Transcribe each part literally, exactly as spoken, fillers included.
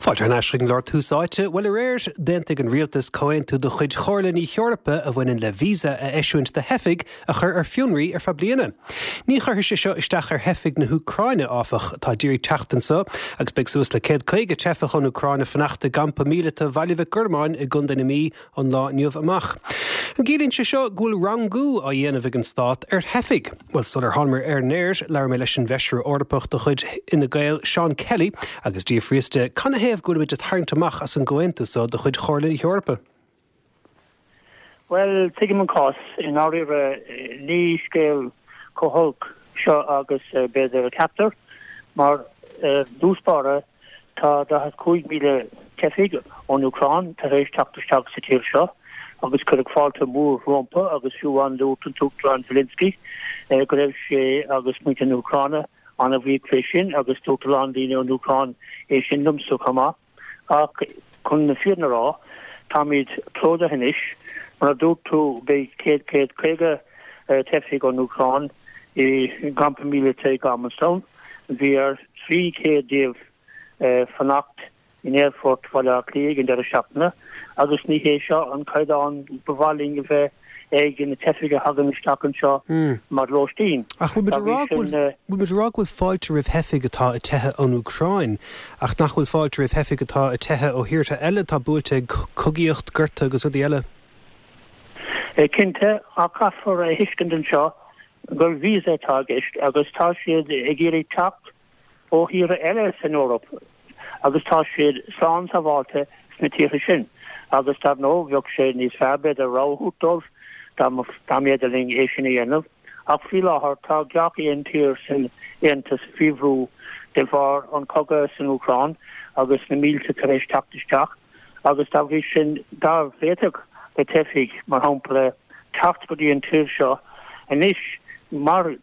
Fáilte thar n-ais chuig an gclár Tús Áite, bhuel aréir d'aontaigh an rialtas comhaontú de chuid Chomhairle na hEorpa a bhaineann le víosa a eisiúint do theifigh a chur ar fionraí ar feadh bliana. Ní chuirfidh sé seo isteach ar theifigh na hÚcráine áfach atá ag iarraidh teacht anseo agus beidh suas le céad caoga teifeach ón Úcráin ag fanacht i gcampa míleata Bhaile Mhic Gormáin i gContae na Mí ón lá inniu amach. An gciallaíonn sé seo go bhfuil rangú á dhéanamh ag an stát ar theifigh? Well sular tháingamar ar an aer labhair mé leis an bhfeisire Eorpach de chuid Fhine Gael Seán Kelly agus d'fhiafraíos de canathaobh go bhfuilimid ag tarraingt amach as an gcomhaontú seo de chuid Chomhairle na hEorpa. Well tuigim an cás i ndáiríre ní scéal chomh holc seo agus eh, b'fhéidir a ceaptar mar eh, dtús báire tá daichead cúig míle teifigh ón Úcráin tar éis teacht isteach sa tír seo agus cuireadh fáilte mór rompu agus fiú amháin dúirt an tUachtarán Zelensky eh, go raibh sé agus muintir na hÚcráine an-bhuíoch fé sin agus dúirt a lán daoine ón Úcráin é sin liomsa chomh maith ach chun na fírinne a rá táimid plódaithe anois mar a dúirt tú beidh céad céad caoga eh, teifigh ón Úcráin i gcampa míleata i Garmanstown bhí ar trí chéad díobh eh, fanacht in aerfort Bhaile Átha Cliath ag an deireadh seachtaine agus ní hé seo an caighdeán ba mhaith linn a bheith ag na teifigh a thagann isteach anseo mm. mar lóistín. Ach bhfuil rá bhfuil fáilte roimh theifigh atá ag teitheadh ón Úcráin ach nach bhfuil fáilte roimh theifigh atá ag teitheadh ó thíortha eile atá buailte ag cogaíocht gorta agus rudaí eile. E, cinnte ach caithfear a thuiscint anseo gur víosa atá i gceist agus tá siad ag iarraidh teacht ó thíortha eile san Eoraip agus tá siad slán sábháilte sna tíortha sin agus dar ndóigh bheadh sé níos fearr b'fhéidir rogha dóibh dá mb'fhéidir linn é sin a dhéanamh ach faoi láthair tá gach aon tír san Aontas faoi bhrú de bharr an cogadh san Úcráin agus na mílte tar éis teacht isteach agus dá bhrí sin dá bhféadfadh le teifigh mar shampla teacht go dtí an tír seo anois mar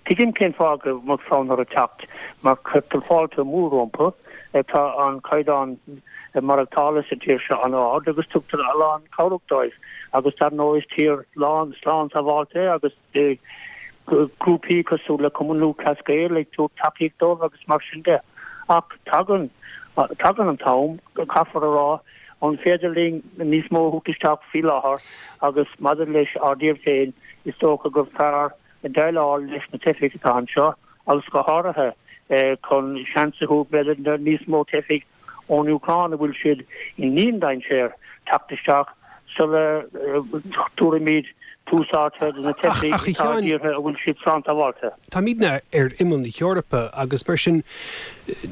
tuigim cén fáth go mbeadh fonn orthu teacht mar cuirtear fáilte mór rompu tá an caighdeán maireachtála sa tír seo an-ard agus tugtar a lán cabhrach dóibh agus dar ndóigh is tír lán slán sábháilte agus grúpaí cosúil le Cumann Lúthchleas Gael ag tabhairt tacaíocht dóibh agus mar sin de ach tagann tagann an t-am caithfear a rá an féidir linn níos mó a thabhairt isteach faoi láthair agus maidir leis ár dtír féin is dócha gur fearr déileáil leis na teifigh atá anseo agus go háirithe eh, chun seans a thabhairt b'fhéidir níos mó teifigh ón Úcráin a bhfuil siad i ndiandainséar teacht isteach sula dtabharfaimid tús áite do na teifigh atá i dtíortha a bhfuil siad slán sábháilte. Táimidne ar imeall na hEorpa agus mar sin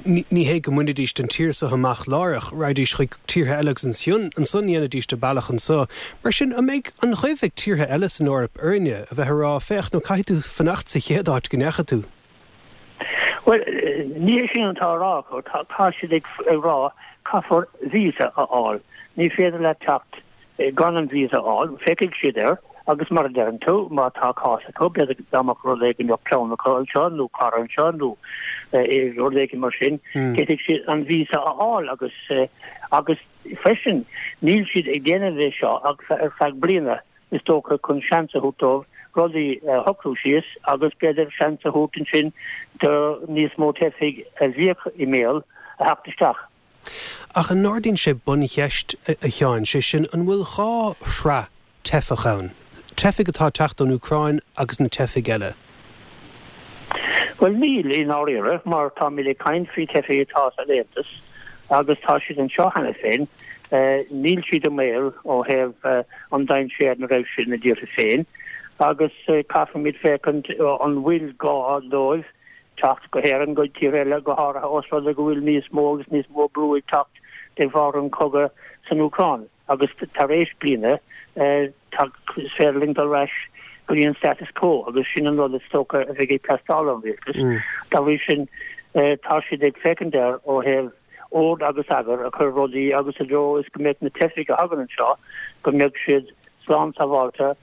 ní hé go mbainfidís an tír seo amach láithreach, raghaidís chuig tíortha eile agus ansin ansan dhéanfaidís a bealach anseo. Mar sin an mbeidh an chuimh ag tíortha eile san Eoraip orainne a bheith ag rá féach nó caithfidh tú fanacht sa chéad áit go ndeachaigh tú. Well ní sin atá á rá tá siad ag rá caithfear visa a fháil. Ní féidir le teacht gan an visa a fháil, féachfaidh siad air agus mar a deireann tú má tá cás acu b'fhéidir dá mbeadh rud éigin clann acu anseo nó cara anseo nó rud éigin mar sin d'fhéadfadh siad an visa a fháil agus agus freisin níl siad ag déanamh é seo ach ar feadh bliana is dócha chun seans a thabhairt dóibh rudaí a shocrú síos agus b'fhéidir seans a thabhairt ansin do níos mó teifigh a bhíodh i mbaol a theacht isteach. Ach an n-ardaíonn sé buncheist a Sheáin sé sin an bhfuil dhá shraith teifeach ann. Teifigh atá ag teacht ón Úcráin agus na teifigh eile. Well níl i ndáiríre mar táimid ag caint faoi teifigh atá san Aontas agus tá siad anseo cheana féin eh, níl siad i mbaol ó thaobh eh, an dainséar na raibh siad ina dtíortha féin agus eh, caithfimid féachaint an bhfuil gá dóibh teacht go hÉirinn go tír eile go háirithe os rud é go bhfuil níos mó agus níos mó brú ag teacht de bharr an cogadh san Úcráin agus tar éis bliana is féidir linn dul ar ais go dtí an status quo agus sin an rud is dócha a bheidh ag teastáil ón rialtas. Dá bhrí sin tá siad ag féachaint air ó thaobh ord agus eagar a chur rudaí agus i dtreo is go mbeadh na teifigh a thagann anseo go mbeadh siad slán sábháilte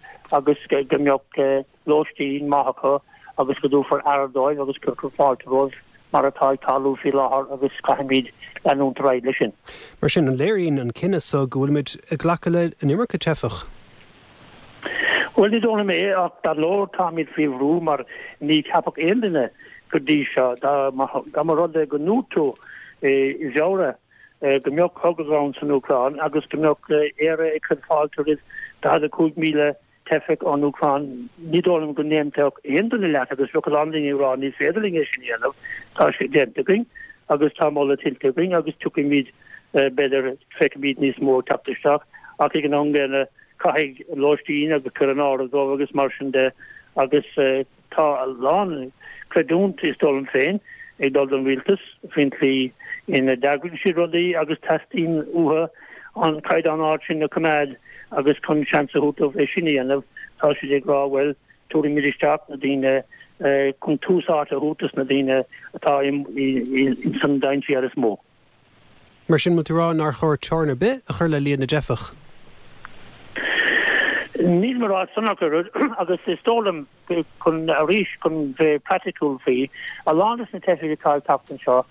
agus go mbeadh lóistín maith acu agus go dtabharfar aire dóibh agus cuirfear fáilte rompu mar atá ag tarlú faoi láthair agus caithfimid leanúint ar aghaidh leis sin. Mar sin an léiríonn an cinneadh so go bhfuilimid ag glacadh le an iomarca teifeach. Well ní dóigh liom é ach dar ndóigh táimid faoi bhrú mar ní cheapfadh aon duine go dtí seo dá mba rud é go ndúirt tú i bhFeabhra go mbeadh cogadh ann san Úcráin agus go mbeadh Éire ag cur fáilte roimh daichead a cúig míle teifeach ón Úcráin, ní dóigh liom go n-aontódh aon duine leat agus bheadh a lán daoine ag rá ní féidir linn é sin a dhéanamh, tá sé déanta againn agus tá moladh tuillte againn agus tiocfaimid, b'fhéidir, feicfimid níos mó ag teacht isteach ach ag an am gcéanna caithfidh lóistín agus cur in áirithe dóibh agus mar sin de agus tá a lán creidiúint, is dóigh liom féin, ag dul don rialtas faoin tslí ina d'eagraigh siad rudaí agus teastaíonn uathu an caighdeán ard sin a choimeád agus chun seans a thabhairt dóibh é sin a dhéanamh tá siad ag rá bhuel tabharfaimid isteach na daoine chun tús áite a thabhairt dos na daoine atá ins an dainséar is mó. Mar sin, bhfuil tú ag rá nár chóir teorainn ar bith a chur le líon na dteifeach? Nílim ag rá san ach oiread agus is dóigh liom chun arís chun bheith praiticiúil faoi, a lán des na teifigh atá ag teacht anseo,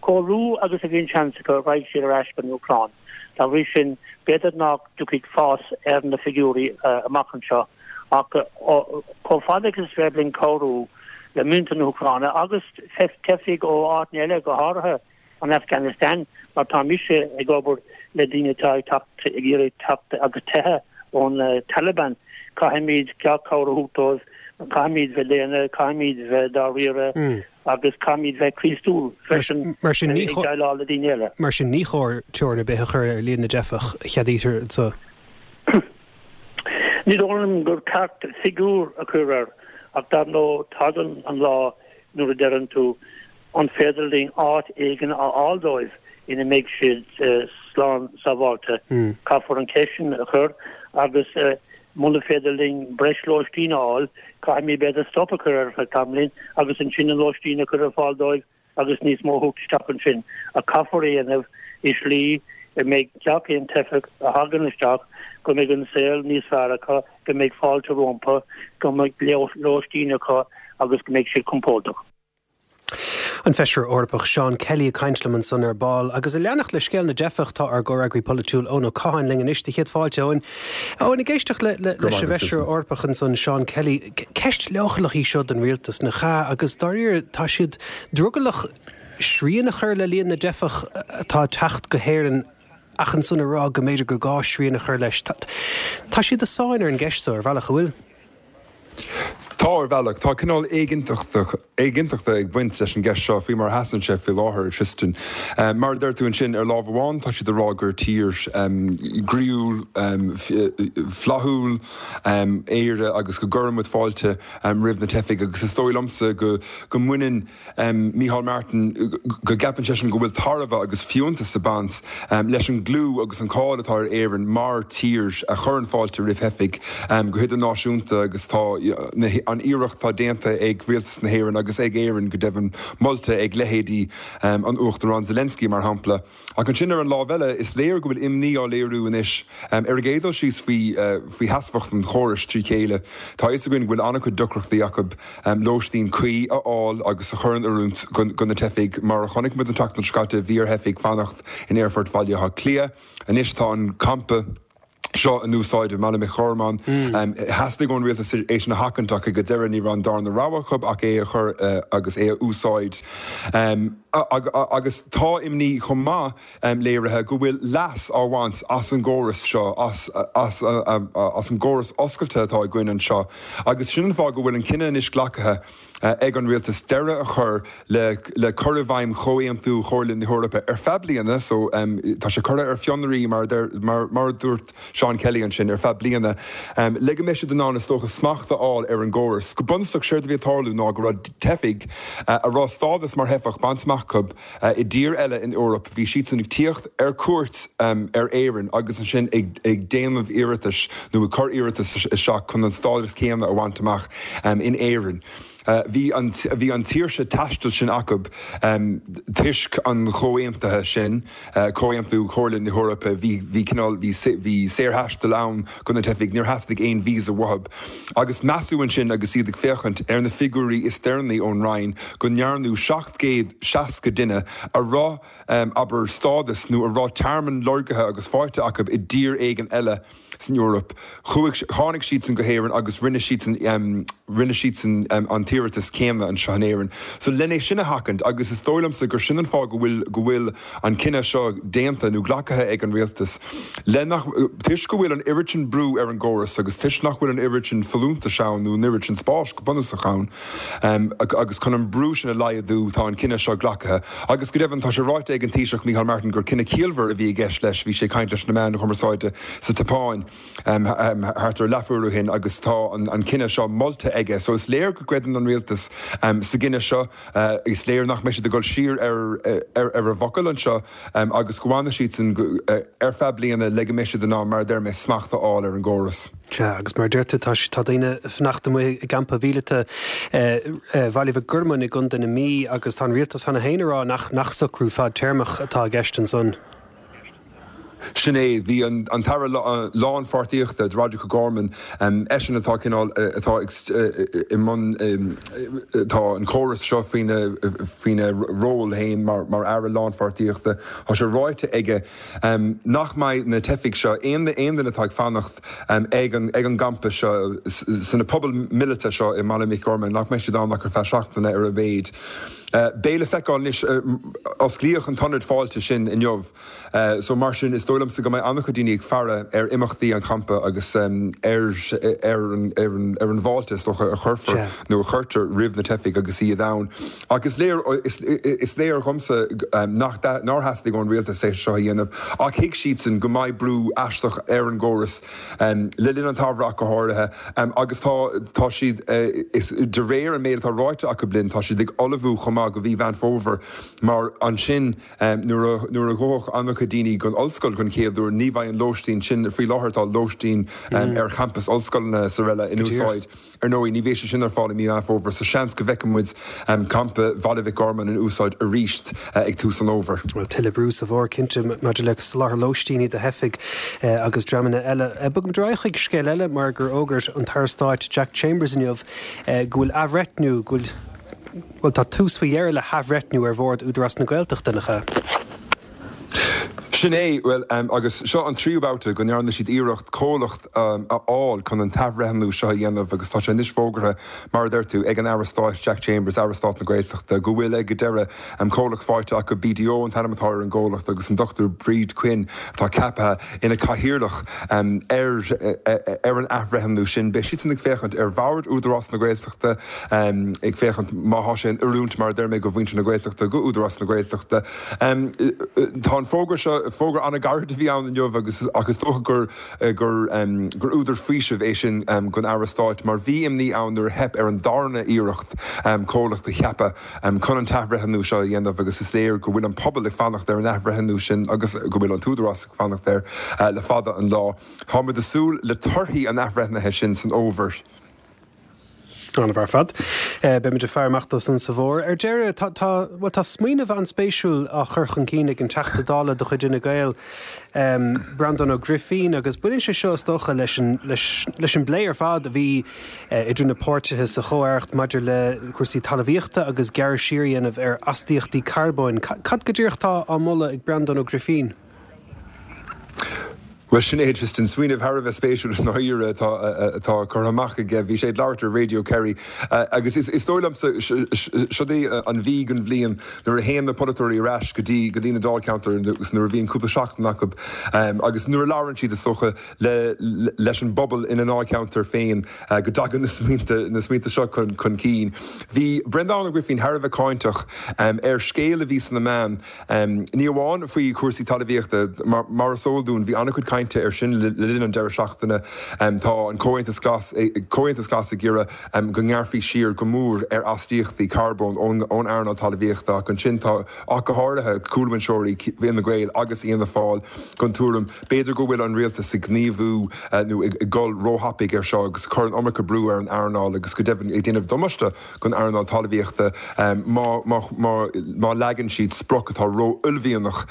chomh luath agus a bhíonn seans acu raghaidh siad ar ais go an Úcráin. Dá bhrí sin, b'fhéidir nach dtiocfaidh fás ar na figiúirí amach anseo ach chomh fada agus is féidir linn cabhrú le muintir na hÚcráine agus teifigh ó áiteanna eile go háirithe, an Afghanistan mar tá mise ag obair le daoine atá ag teacht ag iarraidh teacht agus teitheadh ón Taliban. Caithfimid gach cabhair a thabhairt dóibh, caithfimid bheith daonna, caithfimid bheith dáiríre agus caithfimid bheith Críostúil freisin Mar sin ní ag déileáil le daoine eile. Mar sin ní chóir teorainn ar bith a chur ar líon na dteifeach a cheadaítear anseo. Ní dóigh liom gur ceart figiúr a chur air ach dar ndóigh tagann an lá nuair a deireann tú An féidir linn áit éigin a fháil dóibh ina mbeidh siad slán sábháilte? Caithfear an cheist sin a chur agus muna féidir linn breis lóistín a fháil, caithfimid b'fhéidir stop a chur ar feadh tamaillín agus ansin an lóistín a chur ar fáil dóibh agus níos mó a thabhairt isteach ansin. Ach caithfear é a dhéanamh i slí a mbeidh gach aon teifeach a thagann isteach, go mbeidh an saol níos fearr acu, go mbeidh fáilte rompu, go mbeidh lóistín acu agus go mbeidh siad compordach. An Feisire Eorpach Seán Kelly ag caint liom ansan ar ball. Agus ag leanacht le scéal na dteifeach tá ár gcomhfhreagraí polaitiúil Eoin Ó Catháin linn anois do chéad fáilte Eoin. Eoin, ag éisteacht le leis an bhFeisire Eorpach ansan Seán Kelly, ceist leochaileach í seo don rialtas, nach ea? Agus dáiríre tá siad drogallach srian a chur le líon na dteifeach atá ag teacht go hÉirinn ach ansan a rá go mb'fhéidir gur gá srian a chur leis. Tá siad i sáinn ar an gceist seo ar bhealach, an bhfuil? Tá, ar bhealach. Tá cineál éiginnteachta ag baint leis an gceist seo faoi mar a sheasann sé faoi láthair, Tristan. Mar a deir tú ansin, ar lámh amháin tá siad ag rá gur tír groíúil, flaithiúil Éire agus go gcuireann muid fáilte roimh na teifigh agus is dóigh liomsa go mbaineann Micheál Martin, go gceapann seisean go bhfuil tairbhe agus fiúntas ag baint leis an gclú agus an cáil atá ar Éirinn mar tír a chuireann fáilte roimh theifigh go hidirnáisiúnta agus tá an iarracht atá déanta ag rialtas na hÉireann agus ag Éirinn go deimhin molta ag leithéidí an Uachtaráin Zelensky mar shampla. Ach ansin ar an lámh eile is léir go bhfuil imní á léiriú anois ar an gcéad dul síos faoi faoi sheasmhacht an chórais trí chéile. Tá a fhios againn go bhfuil an-chuid deacrachtaí acu lóistín cuí a fháil agus a chur in oiriúint do na teifigh. Mar a chonaic muid an tseachtain seo caite, bhí ar theifigh fanacht in Aerfort Bhaile Átha Cliath. Anois tá an campa seo in úsáid i mBaile Mhic Gormáin. Theastaigh ón rialtas é sin a sheachaint ach ag an deireadh ní raibh an darna rogha acu ach é a chur agus é a úsáid. Agus tá imní chomh maith léirithe go bhfuil leas á bhaint as an gcóras seo, as as an gcóras oscailte atá againn anseo agus sin an fáth go bhfuil an cinneadh anois glactha ag an rialtas deireadh a chur le le cur i bhfeidhm Chomhaontú Chomhairle na hEorpa ar feadh bliana. So tá sé curtha ar fionraí mar mar mar a dúirt Seán Kelly ansin ar feadh bliana le go mbeidh siad in ann is dócha smacht a fháil ar an gcóras. Go bunúsach séard a bhí ag tarlú ná go raibh teifigh a raibh stádas mar theifeach bainte amach acu i dtír eile in Eoraip, bhí siadsan ag tíocht ar cuairt ar Éirinn agus ansin ag déanamh iarratais nó ag cur iarratas isteach chun an stádas céanna a bhaint amach in Éirinn. Bhí an bhí an tsaoirse taistil sin acu toisc an chomhaontaithe sin, Comhaontú Chomhairle na hEorpa, bhí bhí cineál bhí bhí saorthaisteal ann do na teifigh, níor theastaigh aon visa uathu. Agus measadh ansin agus iad ag féachaint ar na figiúirí is deireanaí ón Roinn go ndearnadh seacht gcéad seasca duine a raibh, abair, stádas nó a raibh tearmann lorgaithe agus faighte acu i dtír éigin eile san Eoraip. Chuaigh, tháinig siadsan go hÉirinn agus rinne siadsan, rinne siadsan an t-iarratas céanna anseo in Éirinn. So lena sin a sheachaint agus is dóigh liomsa gur sin an fáth go bhfuil go bhfuil an cinneadh seo déanta nó glactha ag an rialtas. Le nach toisc go bhfuil an oiread sin brú ar an gcóras agus toisc nach bhfuil an oiread sin folúntais ann nó an oiread sin spáis go bunúsach ann um, agus chun an brú sin a laghdú tá an cinneadh seo glactha. Agus go deimhin tá sé ráite ag an Taoiseach Micheál Martin gur cinneadh ciallmhar a bhí i gceist leis bhí sé ag caint leis na meáin chumarsáide sa tSeapáin um, um, thart ar leathuair ó shin agus tá an, an cinneadh seo molta aige. So is léir go gcreideann an rialtas um, sa gcinneadh seo uh, is léir nach mbeidh siad ag dul siar ar, ar, ar a bhfocal anseo um, agus go bhfanfaidh siad san uh, ar feadh bliana le go mbeidh siad in ann mar a deir mé smacht a fháil ar an gcóras. Sea, agus mar a deir tú tá tá daoine ag fanacht amuigh i gcampa míleata Bhaile Mhic Gormáin i gContae na Mí agus tá an rialtas cheana féin ag rá nach nach socrú fadtéarmach atá i gceist ansan. Sin é bhí an, an tAire lánpháirtíochta Roderick O'Gorman um, eisean atá cineál atá i mbun tá an córas seo faoina faoina ról féin mar, mar aire lánpháirtíochta Tá sé ráite aige um, nach mbeidh na teifigh seo aon aon duine atá ag fanacht um, ag an, ag an gcampa seo sna pubaill mhíleata seo i mBaile Mhic Gormáin nach mbeidh siad ann ach ar feadh seachtaine ar a mhéad. Uh, Beidh le feiceáil anois uh, osclaíodh an t-ionad fáilte sin inniu. Uh, so mar sin is dóigh liomsa go mbeidh an-chuid daoine ag faire ar imeachtaí an champa agus um, ar, ar, an, ar, an, ar an bhfáilte is dócha a chuirfear nó a chuirtear roimh na teifigh agus iad ann. Agus is léir, is, is léir dhomsa um, nach nár theastaigh ón rialtas é seo a dhéanamh ach thuig siadsan go mbeidh brú aisteach ar an gcóras um, le linn an tsamhraidh go háirithe um, agus tá tá siad uh, is de réir an méid atá ráite acu linn tá siad ag ullmhú chomh maith go mí Mheán Fómhair mar ansin um, nuair a ghabhfadh an-chuid daoine don ollscoil den chéad uair ní bheidh an lóistín sin faoi láthair tá lóistín um, mm. ar champas ollscoileanna is araile in úsáid. Ar ndóigh ní bheidh sé sin ar fáil i mí Mheán Fómhair so seans go bhfeicfidh muid um, campa Bhaile Mhic Gormáin in úsáid arís uh, ag tús an fhómhair. Well tuilleadh brú sa bhfómhar cinnte maidir le soláthar lóistíní do theifigh uh, agus dreamanna eile. Uh, Bogaim ar aghaidh chuig scéal eile mar gur fhógair an tAire Stáit Jack Chambers inniu uh, go bhfuil athbhreithniú go bhfuil Well tá tús faoi dheireadh le hathbhreithniú ar bhord Údarás na Gaeltachta nach ea. Sin é well um, agus seo an tríú babhta go ndearna siad iarracht comhlacht um, a fháil chun an t-athbhreithniú seo a dhéanamh agus tá sé anois fógartha mar a deir tú ag an Aire Stáit Jack Chambers Aire Stáit na Gaeltachta go bhfuil ag deireadh um, comhlacht faighte acu BDO an t-ainm atá ar an gcomhlacht agus an Dr Bríd Quinn atá ceaptha ina cathaoirleach um, ar, ar an athbhreithniú sin. Beidh siad ag féachaint ar bhord Údarás na Gaeltachta um, ag féachaint má tá sé in oiriúint mar a deir mé go mhuintir na Gaeltachta go Údarás na Gaeltachta. Um, tá an fógra seo fógra an-ghairid a bhí ann inniu agus agus dócha gur gur um, gur údar faoisimh é sin um, don Aire Stáit mar bhí imní ann nuair a theip ar an darna iarracht um, comhlacht a cheapadh um, chun an t-athbhreithniú seo a dhéanamh agus is léir go bhfuil an pobal ag fanacht ar an athbhreithniú sin agus go bhfuil an tÚdarás ag fanacht air uh, le fada an lá. Táimid ag súil le torthaí an athbhreithnithe sin san fhómhar. An-mhaith ar fad. Beimid ag faire amach dó san sa bhfómhar. Ar deireadh tá tá smaoineamh an-spéisiúil á chur chun cinn ag an Teachta Dála de chuid Fhine Gael um, Breandán Ó Grifín agus baineann sé seo is dócha leis an, leis, leis an bplé ar fad a bhí uh, idir na páirtithe sa chomh-aireacht maidir le cúrsaí talmhaíochta agus gearradh siar a dhéanamh ar astaíochtaí carbóin. Cad go díreach atá á mholadh ag Breandán Ó Grifín? Well sin é just an smaoineamh thar a bheith spéisiúil náire atá curtha amach aige bhí sé ag labhairt ar Radio Kerry agus is is dóigh liomsa seo é an mhí den bhliain nuair a théann na polaiteoirí ar ais go dtí go dtí na dáilcheantair agus nuair a bhíonn cúpla seachtain acu agus nuair a labhrann siad is dócha le leis an bpobal ina ndáilcheantar féin go dtagann na smaointe na smaointe seo chun chun cinn. Bhí Breandán Ó Grifín thar a bheith cáinteach ar scéal a bhí sna meáin ní amháin faoi chúrsaí talmhaíochta mar mar is eol dúinn bhí an-chuid cainte ar sin le linn an deireadh seachtaine tá an Comhaontas Glas Comhaontas Glas ag iarraidh go ngearrfaí siar go mór ar astaíochtaí carbóin ón ón earnáil talmhaíochta ach ansin tá ach go háirithe cúlbhinseoirí Fhine Gael agus Fhianna Fáil den tuairim b'fhéidir go bhfuil an rialtas ag gníomhú nó ag dul róthapaidh ar seo agus cur an iomarca brú ar an earnáil agus go deimhin ag déanamh damáiste don earnáil talmhaíochta má má má má leagann siad sprioc atá ró-uaillmhianach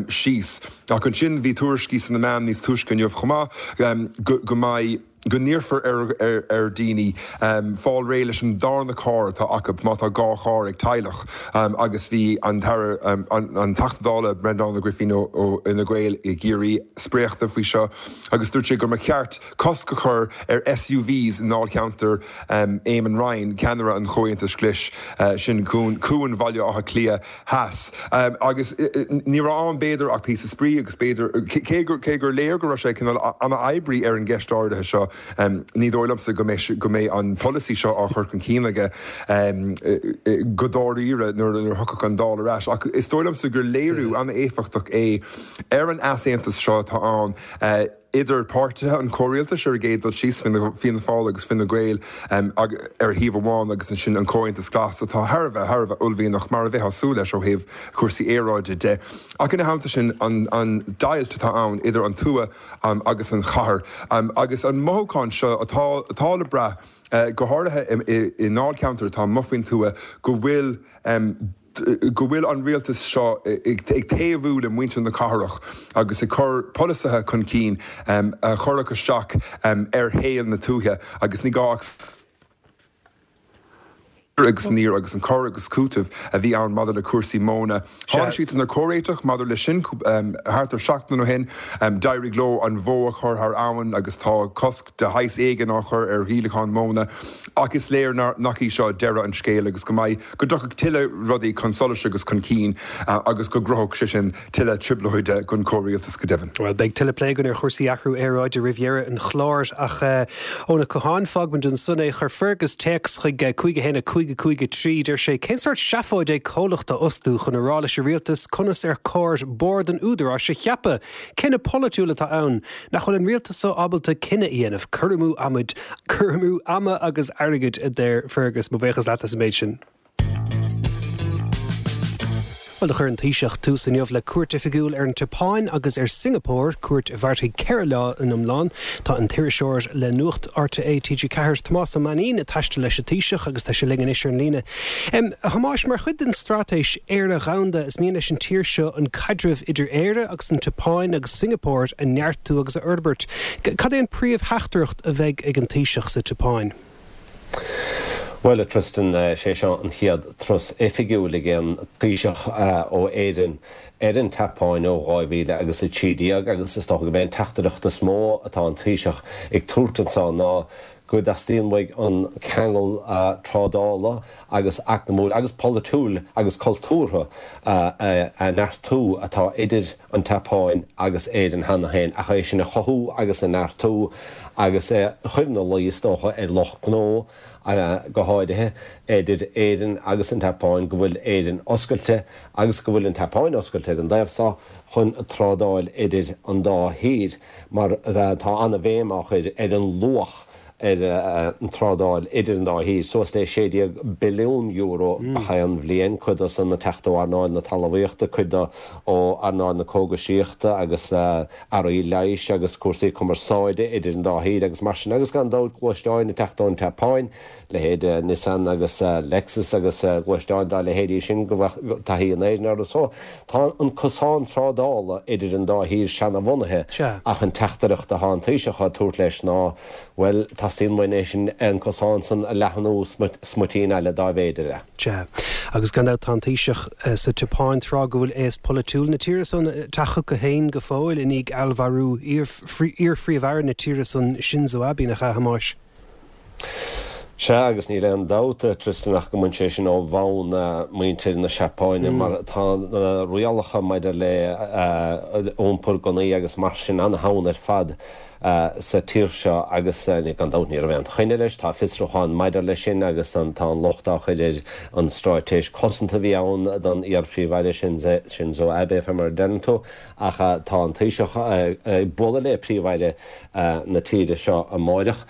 síos. Ach ansin bhí tuairiscí sna meáin níos túisce inniu chomh maith go go mbeidh go n-iarrfar ar, ar, ar daoine um, fáil réidh leis an darna carr atá acu má tá dhá charr ag teaghlach um, agus bhí an tAire um, an, an Teachta Dála Breandán Ó Grifín ó, ó Fhine Gael i gCiarraí spréachta faoi seo agus dúirt sé gur mba cheart cosc a chur ar S U Vs i ndáilcheantar um, Eamon Ryan, ceannaire an Chomhaontais Ghlais uh, sin cuan, cuan Bhaile Átha Cliath Theas. Um, agus ní raibh ann b'fhéidir ach píosa spraoi agus b'fhéidir cé gur cé gur léir go raibh sé cineál an-oibrithe ar an gceist áirithe seo um, ní dóigh liomsa go mbeidh go mbeidh an polasaí seo á chur chun cinn aige um, go dáiríre nuair nuair a thiocfadh an Dáil ar ais. Ach is dóigh liomsa gur léiriú an-éifeachtach é ar an easaontas seo atá ann uh, idir páirtithe an chomhrialtais ar an gcéad dul síos Fianna Fáil agus Fine Gael um, ar thaobh amháin agus ansin an Comhaontas Glas atá thar a bheith thar a bheith uaillmhianach mar a bheifeá ag súil leis ó thaobh cúrsaí aeráide de. Ach ina theannta sin an, an deighilt atá ann idir an tuath um, agus an chathair um, agus an mothúchán seo atá, atá le brath uh, go háirithe i ndáilcheantair atá amuigh faoin tuath go bhfuil um, go bhfuil an rialtas seo ag taobhú le muintir na cathrach agus ag cur polasaithe chun cinn um, a chuirfeadh isteach um, ar shaol na tuaithe agus ní gá agus níor agus an cur agus cúiteamh a bhí ann maidir le cúrsaí móna. Tháinig siad ar chomhréiteach maidir leis sin um, thart ar seachtain ó shin um, d'éirigh leo an bhó a chur thar abhainn agus tá cosc de shaghas éigin á chur ar dhíolachán móna ach is léir nach í seo deireadh an scéil agus go mbeidh go dtiocfaidh tuilleadh rudaí chun solais agus chun cinn uh, agus go gcruthódh sé sin tuilleadh trioblóide don chomhrialtas go deimhin. Well, beidh tuilleadh plé againn ar chúrsaí athrú aeráide roimh dheireadh an chláir ach uh, óna Cotháin fágfaimid ansan é. Chuir Fergus téacs chuig cúig a haon cúig cúig trí. Deir sé cén sórt seafóid é comhlacht a fhostú chun a rá leis an rialtas conas ar chóir bord an Údaráis a cheapadh. Cinneadh polaitiúil atá ann nach bhfuil an rialtas so ábalta cinneadh a dhéanamh cur amú amaid cur amú ama agus airgid a deir Fergus. Mo bhuíochas leat as an méid sin. Well, do chuir an Taoiseach tús inniu le cuairt oifigiúil ar an tSeapáin agus ar Singapore, cuairt a mhairfidh ceithre lá in iomlán. Tá an t-iriseoir le Nuacht R T É T G Ceathair Tomás Ó Mainnín ag taisteal leis an Taoiseach agus tá sé linn anois ar an líne. Um, a Thomáis, mar chuid den straitéis Éire Dhomhanda is mian leis an tír seo an caidreamh idir Éire agus an tSeapáin agus Singapore a neartú agus a fhorbairt. Cad é an príomhtheachtaireacht a bheidh ag an Taoiseach sa tSeapáin? Well, Tristan, sé seo an chéad turas oifigiúil ag an Taoiseach ó Éirinn ar an tSeapáin ó dhá mhíle agus a trí déag agus is dócha gurb é an teachtaireacht is mó atá an Taoiseach ag tabhairt anseo ná go dteastaíonn uaidh an ceangal trádála agus eacnamúil agus polaitiúil agus cultúrtha a neartú atá idir an tSeapáin agus Éirinn cheana féin ach é sin a chothú agus a neartú agus chur ina luí is dócha ar lucht gnó go háirithe idir Éirinn agus an tSeapáin go bhfuil Éirinn oscailte agus go bhfuil an tSeapáin oscailte ar an dtaobh seo chun trádáil idir an dá thír mar tá an-bhéim á chur ar an luach ar an trádáil idir an dá thír, suas le sé déag billiún euro gach aon bhliain, cuid de san ag teacht ó earnáil na talmhaíochta, cuid de ó earnáil na cógaisíochta agus earraí leighis agus cúrsaí cumarsáide idir an dá thír agus mar sin agus gan dabht gluaisteáin ag teacht ón tSeapáin, leithéid Nissan agus Lexus agus gluaisteáin dá leithéidí sin go bhfuil taithí in Éirinn orthu. So tá an cosán trádála idir an dá thír seanabhunaithe ach an teachtaireacht atá an Taoiseach á tabhairt leis ná, bhuel, teastaíonn uainn é sin an cosán san a leathnú smuitín eile dá bhféidir é. Sea, agus gan dabht tá an Taoiseach sa tSeapáin tráth go bhfuil aos polaitiúil na tíre san ag teacht chucu féin go fóill i ndiaidh fheallmharú iar-phríomh-aire na tíre san Shinzo Abe, nach ea, a Thomáis? Sea, agus níl aon dabht, Tristan, ach go mbain sé sin ó bhonn muintir na Seapáine mar tá na rialacha maidir le iompar gunnaí agus mar sin an-teann ar fad sa tír seo agus gan dabht ní raibh aon choinne leis, tá fiosrúchán maidir leis sin agus tá an locht á chur ar an straitéis cosanta a bhí ann don iar-phríomh-aire Shinzo Abe, fé mar a deireann tú, ach tá an Taoiseach ag bualadh le príomh-aire na tíre seo amáireach,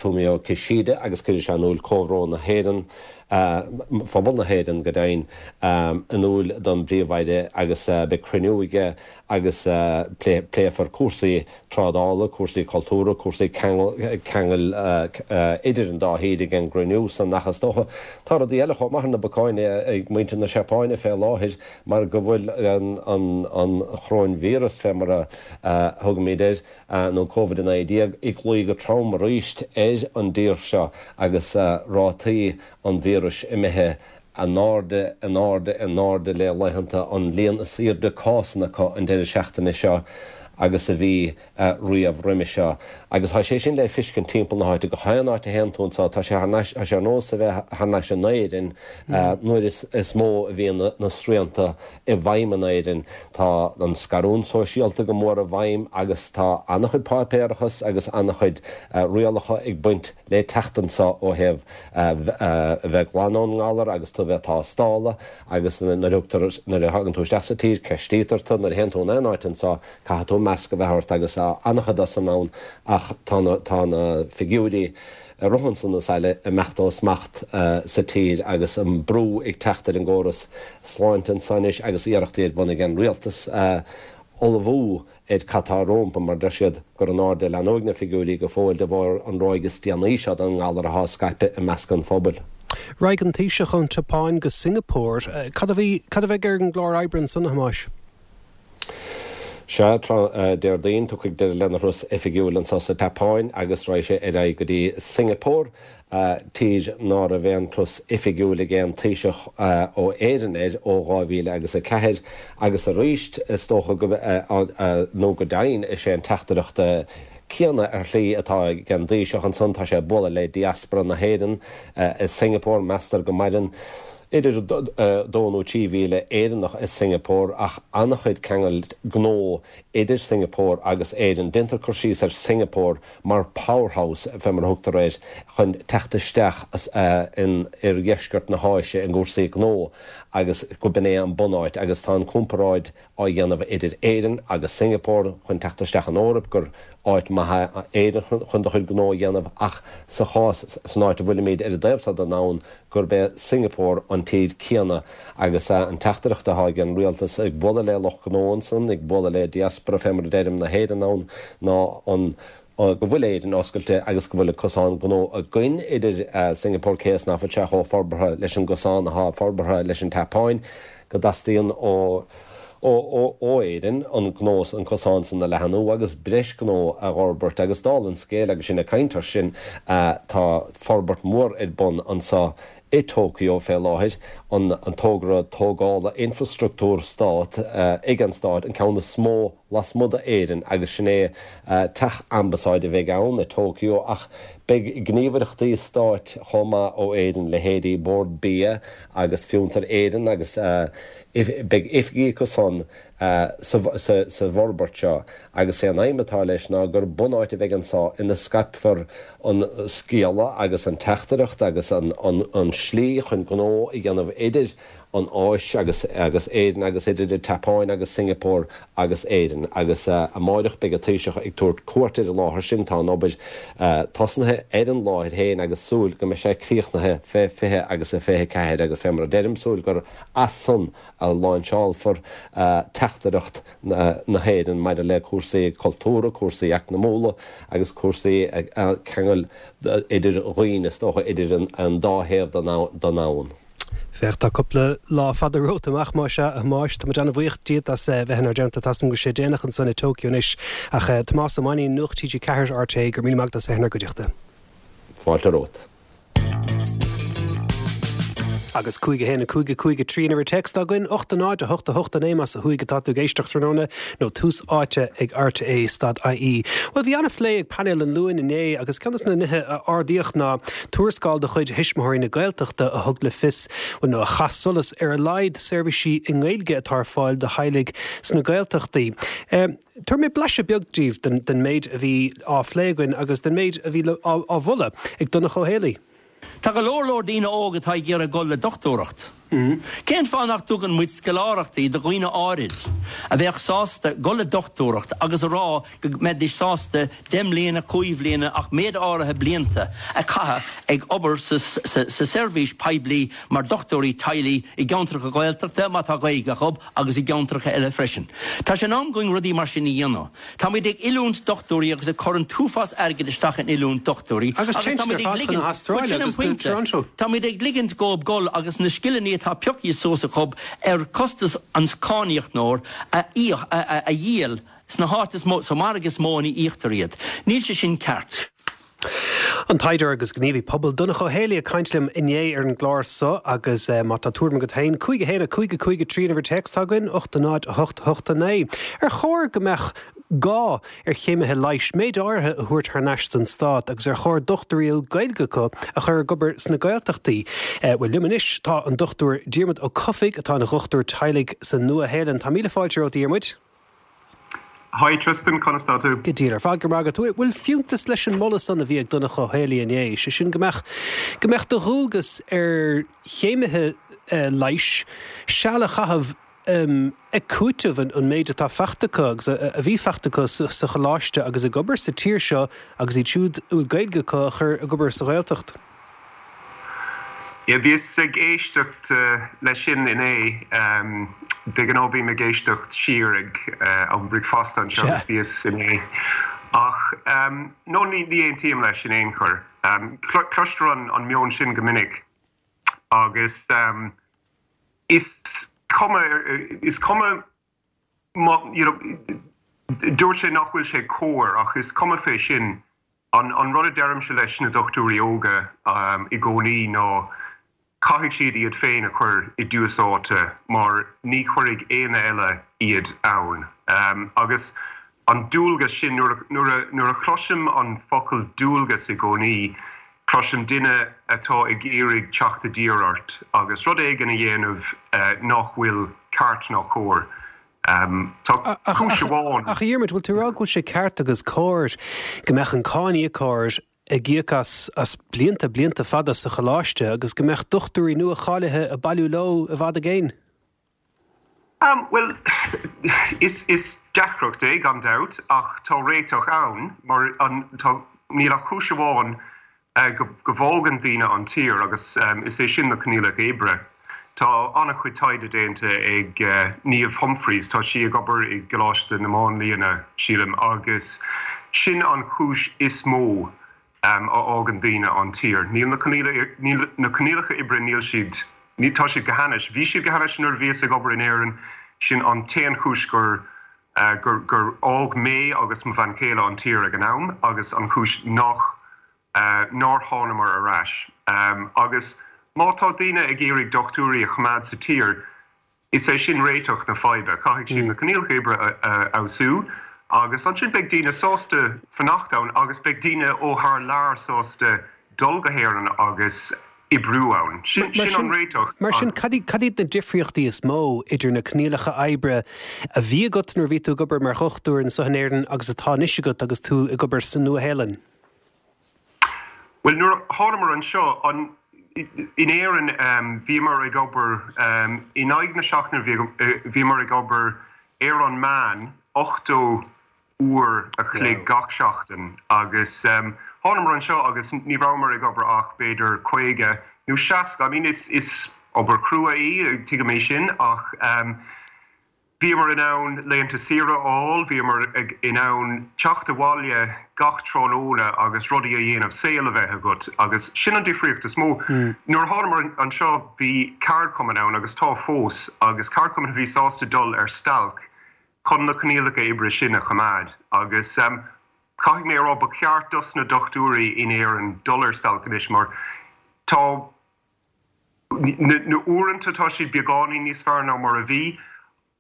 Fumio Kishida, agus cuirfidh sé in iúl comhbhrón na hÉireann phobal na hÉireann go deimhin, in iúl don bPríomh-Aire agus beidh cruinniú aige agus pléifear cúrsaí trádála, cúrsaí cultúrtha, cúrsaí ceangail idir an dá thír ag an gcruinniú san ach is dócha tá rudaí eile chomh maith ar na bacáin ag muintir na Seapáine fé láthair mar go bhfuil an choróinvíreas, fé mar a thugaimid air, nó Covid a naoi déag, ag luí go trom arís ar an dtír seo agus rátaí an víris imithe in airde, in airde, in airde le laethanta, an líon is airde cásanna acu an deireadh seachtaine seo agus a bhí riamh roimhe seo. Agus tá sé sin le feiscint timpeall na háite, gach aon áit a théann tú anseo, tá sé thar n-ais, tá sé ar nós a bheith thar n-ais in Éirinn nuair is mó a bhíonn na srianta i bhfeidhm in Éirinn. Tá an scarúint sóisialta go mór i bhfeidhm agus tá an-chuid páipéarachas agus an-chuid rialacha ag baint le teacht anseo ó thaobh a bheith glan ón ngalar agus tú a bheith tástála agus nuair a thugtar, nuair a thagann tú isteach sa tír, ceistítear tú, nuair a théann tú in aon áit anseo, caithfidh tú masc a bheith ort agus tá an-chuid de san ann ach tá na, tá na figiúirí ag rith ansan is eile ag imeacht ó smacht sa tír agus an brú ag teacht ar an gcóras sláinte anso anois agus iarrachtaí ar bun ag an rialtas ullmhú ar cad tá rompu mar deir siad gur in airde a leanfaidh na figiúirí go fóill de bharr an ráig is déanaí seo den ngalar atá ag scaipeadh i measc an phobail. Raghaidh an Taoiseach ón tSeapáin go Singapore. Cad a bhí, cad a bheidh ar an gclár oibre ansan, a Thomáis? Sea, Déardaoin, tiocfaidh deireadh lena thuras oifigiúil anso sa tSeapáin agus raghaidh sé ar aghaidh go dtí Singapore, tír ná raibh aon turas oifigiúil ag aon Taoiseach ó Éirinn air ó dhá mhíle agus a ceathair agus arís is dócha go, nó go deimhin, is é an teachtaireacht céanna ar shlí atá ag an dTaoiseach ansan, tá sé ag bualadh le diaspora na hÉireann i Singapore, meastar go maireann idir dó nó trí mhíle Éireannach i Singapore ach an-chuid ceangal gnó idir Singapore agus Éirinn. Déantar cur síos ar Singapore mar powerhouse, fé mar a thugtar air, chun teacht isteach in oirdheisceart na hÁise i gcúrsaí gnó agus go b'in é an bunáit agus tá an comparáid á dhéanamh idir Éirinn agus Singapore chun teacht isteach an Eoraip gur áit maith Éirinn chun do chuid gnó a dhéanamh ach sa chás san áit a bhfuilimid ar an dtaobh seo den domhan gurb é Singapore an tír céanna agus an teachtaireacht atá ag an rialtas ag bualadh le lucht gnó ansan, ag bualadh le diaspora fé mar a deirim na hÉireann ann ná an go bhfuil Éirinn oscailte agus go bhfuil cosán gnó againn idir Singapore cé is nach bhfuil sé chomh forbartha leis an gcosán atá forbartha leis an tSeapáin, go dteastaíonn ó ó Éirinn an gnó, an cosán san a leathnú agus breis gnó a fhorbairt agus dála an scéil agus sinn ag caint air sin tá forbairt mhór ar bun anso i Tokyo fé láthair, an togra tógála infrastructúr stát ag an stát, an ceann is mó lasmuigh d'Éirinn agus sin é teach ambasáide a bheidh ann i Tokyo ach beidh gníomhaireachtaí stáit chomh maith ó Éirinn, leithéidí Bord Bia agus Fiontar Éireann agus beidh oifigí acu san sa bhforbairt seo agus sé an aidhm atá leis ná gur bunáit a bheidh anso ina scaipfear an scéala agus an teachtaireacht agus an slí chun gnó a dhéanamh idir an Áis agus agus Éirinn agus idir an tSeapáin agus Singapore agus Éirinn agus amáireach beidh an Taoiseach ag tabhairt cuairt ar an láthair sin. Tá an obair tosnaithe ar an láthair féin agus súil go mbeidh sé críochnaithe fé fiche agus a fiche ceathair agus fé mar a deirim súil gur as san a láinseálfar teachtaireacht na hÉireann maidir le cúrsaí cultúrtha, cúrsaí eacnamúla agus cúrsaí ceangail idir dhaoine, is dócha, idir an dá thaobh den domhan. Féach, tá cúpla lá fada romhat amach, más ea, a Thomáis. Tá muid an-bhuíoch díot as bheith inár dteannta. Tá a fhios agam go bhfuil sé déanach ansan i Tokyo anois. Ach Tomás Ó Mainnín, Nuacht T G Ceathair, R T É, go raibh míle maith agat as bheith inár gcuideachta. Fáilte romhat. Agus cúig a haon a cúig a cúig a trí an uimhir téacs atá againn, ocht a náid a hocht a hocht a naoi más ó thuaidh atá tú ag éisteacht tráthnóna nó tús áite ag R T É stad I E. Bhuel bhí an-phlé ag painéal an Luain inné agus ceann de na nithe a ardaíodh ná tuarascáil de chuid Thuismitheoirí na Gaeltachta a thug le fios bhuel nó a chaith solas ar a laghad seirbhísí i nGaeilge atá ar fáil do theaghlaigh sna Gaeltachtaí. Tabharfaidh mé blaiseadh beag daoibh den, den méid a bhí á phlé againn agus den méid a bhí á, á mholadh ag Donncha Ó Héalaí. Tá go leor leor daoine óga atá ag iarraidh dul le dochtúireacht. Cén fáth nach dtugann muid scoláireachtaí do dhaoine áirid a bheadh sásta dul le dochtúireacht agus a rá go mbeidís sásta deich mbliana, cúig bhliana ach méid áirithe blianta a chaitheamh ag obair sa seirbhís poiblí mar dochtúirí teaghlaigh i gceantracha Gaeltachta má tá Gaeilge acu agus i gceantracha eile freisin. Tá sé in am againn rudaí mar sin a dhéanamh. Táimid ag oiliúint dochtúirí agus ag cur an t-uafás airgid isteach in oiliúint dochtúirí Agus agus táimid ag ligint, bhuel sin an pointe, táimid ag ligint dóibh dul agus na scileanna atá pioctha suas acu ar costas an cáiníocóir a íoc, a dhíol sna háit is mó, sa margadh is mó ina íoctar iad. Níl sé sin ceart. An taighdeoir agus gníomhaí pobail Donncha Ó Héalaí ag caint liom inné ar an gclár so agus má tá tuairim agat féin, cúig a haon a cúig a cúig a trí an uimhir téacs atá againn, ocht a náid a hocht a hocht a naoi. Ar chóir go mbeadh gá ar chéimithe leighis méid áirithe a thabhairt thar n-ais don stát agus ar chóir dochtúirí a bhfuil Gaeilge acu a chur ag obair sna Gaeltachtaí? Bhuel, liom anois tá an Dochtúir Diarmuid Ó Cofaigh atá ina dhochtúir teaghlaigh sa Nua-Shéalainn. Tá míle fáilte romhat, a Dhiarmuid. Hi Tristan, conas tá tú? Go diail ar fad, go raibh maith agat. Bhfuil fiúntas leis an moladh san a bhí ag Donncha Ó Héalaí inné, sé sin go mbeadh go mbeadh de dhualgas ar chéimithe leighis seal a chaitheamh ag cúiteamh an méid atá faighte acu agus a bhí faighte acu sa choláiste agus ag obair sa tír seo agus iad siúd a bhfuil Gaeilge acu a chur ag obair sa Ghaeltacht? Yeah, bhíos ag éisteacht leis sin inné. De ghnáth bím ag éisteacht siar ag am bricfeasta anseo agus bhíos inné. Ach no, ní ní aontaím leis in aon chor. Cloistear an an meon sin go minic agus is cuma is cuma má you know dúirt sé nach bhfuil sé cóir ach is cuma fé sin. An an rud a deirimse leis na dochtúirí óga i gcónaí ná caithfidh siad iad féin a chur i dtús áite mar ní chuirfidh éinne eile iad ann. Agus an dualgas sin, nuair a nuair a chloisim an focal dualgas i gcónaí, cloisim duine atá ag iarraidh teacht i dtír ort agus rud éigin a dhéanamh nach bhfuil ceart ná cóir. Tá cúis amháin. Ach a Dhiarmuid, bhfuil tú ag rá go bhfuil sé ceart agus cóir go mbeadh an cáiníocóir ag íoc as as blianta, blianta fada sa choláiste agus go mbeadh dochtúirí nua-cháilithe ag bailiú leo i bhfad i gcéin? Bhuel, is is deacracht é gan dabht ach tá réiteach ann mar an tá níl ach cúis amháin go go bhfágann daoine an tír agus is é sin na coinníollacha oibre. Tá an-chuid taighde déanta ag Niamh Humphreys, tá sí ag obair i gColáiste na Máinlianna, sílim, agus sin an chúis is mó a fhágann daoine an tír. Níl na níl na coinníollacha oibre níl siad ní tá siad go hainnis. Bhí siad go hainnis nuair a bhíos ag obair in Éirinn, sin an t-aon chúis gur gur gur fhág mé agus mo bhean chéile an tír ag an am agus an chúis nach nár thánamar ar ais. Agus má tá daoine ag iarraidh dochtúirí a choimeád sa tír, is é sin réiteach na faidhbe. Caithfidh siad na coinníollacha oibre a fheabhsú agus ansin beidh daoine sásta fanacht ann agus beidh daoine ó thar lear sásta dul go hÉirinn agus oibriú ann. Sin sin an réiteach. Mar sin, cad cad iad na difríochtaí is mó idir na coinníollacha oibre a bhí agat nuair a bhí tú ag obair mar dhochtúir anseo in Éirinn agus atá anois agat agus tú ag obair sa Nua-Shéalainn? Bhuel, nuair a thánamar anseo, an, in Éirinn, bhíomar ag obair, in aghaidh na seachtaine bhíomar ag obair ar an meán ochtó uair a chloig gach seachtain agus thánamar anseo agus ní rabhamar ag obair ach b'fhéidir caoga nó seasca. I mean, is, is obair chrua í, tuigim é sin, ach Bhíomar in ann laethanta saoire a fháil, bhíomar in ann teacht abhaile gach tráthnóna agus rudaí a dhéanamh, saol a bheith agat agus sin an difríocht is mó. Nuair a thánamar anseo bhí ceardchumann ann agus tá fós agus ceardchumann a bhí sásta dul ar stailc chun na coinníollacha oibre sin a choimeád agus caithfidh mé a rá ba cheart dos na dochtúirí in Éirinn dul ar stailc anois mar tá na uaireanta tá siad beagáinín níos fearr ná mar a bhí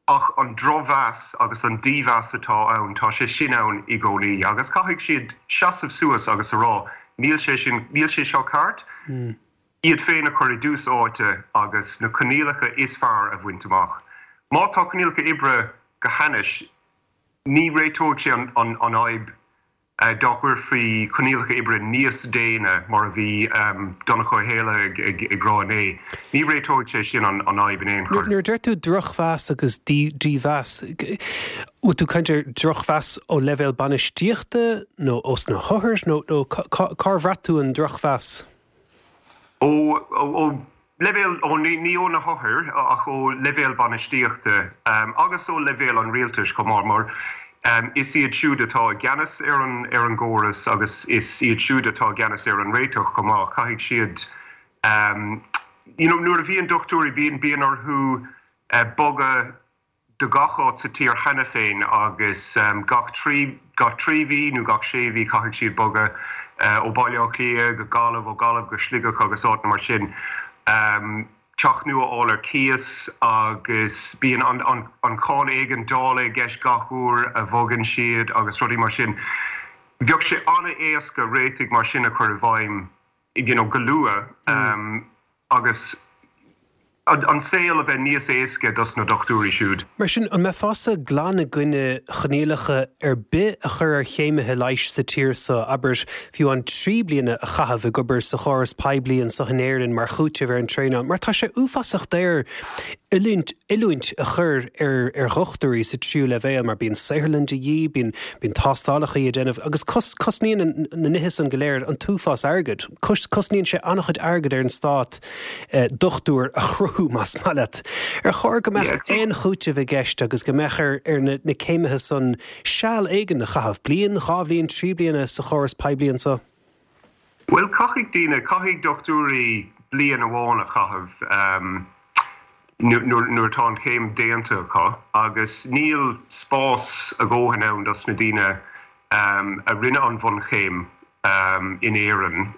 ach an drochmheas agus an dímheas atá ann, tá sé sin ann i gcónaí agus caithfidh siad seasamh suas agus a rá níl sé sin, níl sé seo ceart, iad féin a chur i dtús áite agus na coinníollacha is fearr a bhaint amach. Má tá coinníollacha oibre go hainnis, ní réiteoidh sé an fhadhb. dá gcuirfí coinníollacha oibre níos déine mar a bhí Donncha Ó hÉallaithe ag rá inné. Ní réiteoidh sé sin an fhadhb in aon chor. Nuair a deir tú drochmheas agus dímheas, bhfuil tú ag caint ar drochmheas ó leibhéal bainistíochta nó ós na hothair nó cár bhraith tú an drochmheas? Ó leibhéal, ó ní ó na hothair ach ó leibhéal bainistíochta agus ó leibhéal an rialtais chomh maith mar is iad siúd atá i gceannas ar an ar an gcóras agus is iad siúd atá i gceannas ar an réiteach chomh maith. Caithfidh siad you know nuair a bhíonn dochtúirí bíonn bíonn orthu bogadh do gach áit sa tír cheana féin agus gach trí gach trí mhí nó gach sé mhí caithfidh siad bogadh ó Bhaile Átha Cliath go Gaillimh, ó Gaillimh go Sligeach agus áiteanna mar sin. Teach nua a fháil ar cíos agus bíonn an an an cháin éigeandála i gceist gach uair a bhogann siad agus rudaí mar sin. Bheadh sé an-éasca réitigh mar sin a chur i bhfeidhm you know go luath agus an saol a bheith níos éasca dos na dochtúirí siúd. Mar sin, an mbeifeása glan i gcoinne choinníollacha ar bith a chur ar chéimithe leighis sa tír seo, abair, fiú an trí bliana a chaitheamh ag obair sa chóras poiblí anseo in Éirinn mar chúiteamh ar an traenáil, mar tá sé uafásach daor oiliúint oiliúint a chur ar ar dhochtúirí sa tríú leibhéal mar bíonn saotharlann de dhíth, bíonn bíonn tástálacha le déanamh agus cos cosnaíonn na nithe san go léir an t-uafás airgid. Cos cosnaíonn sé an-chuid airgid ar an stát dochtúir a chruthú más maith leat. Ar chóir go mbeadh aon chúiteamh i gceist agus go mbeadh ar ar na na céimithe san seal éigin a chaitheamh, bliain, dhá bhliain, trí bliana sa chóras poiblí anseo? Bhuel, caithfidh daoine, caithfidh dochtúirí bliain amháin a chaitheamh nuair atá an chéim déanta acu agus níl spás a dhóthain ann dos na daoine a rinne an bhunchéim in Éirinn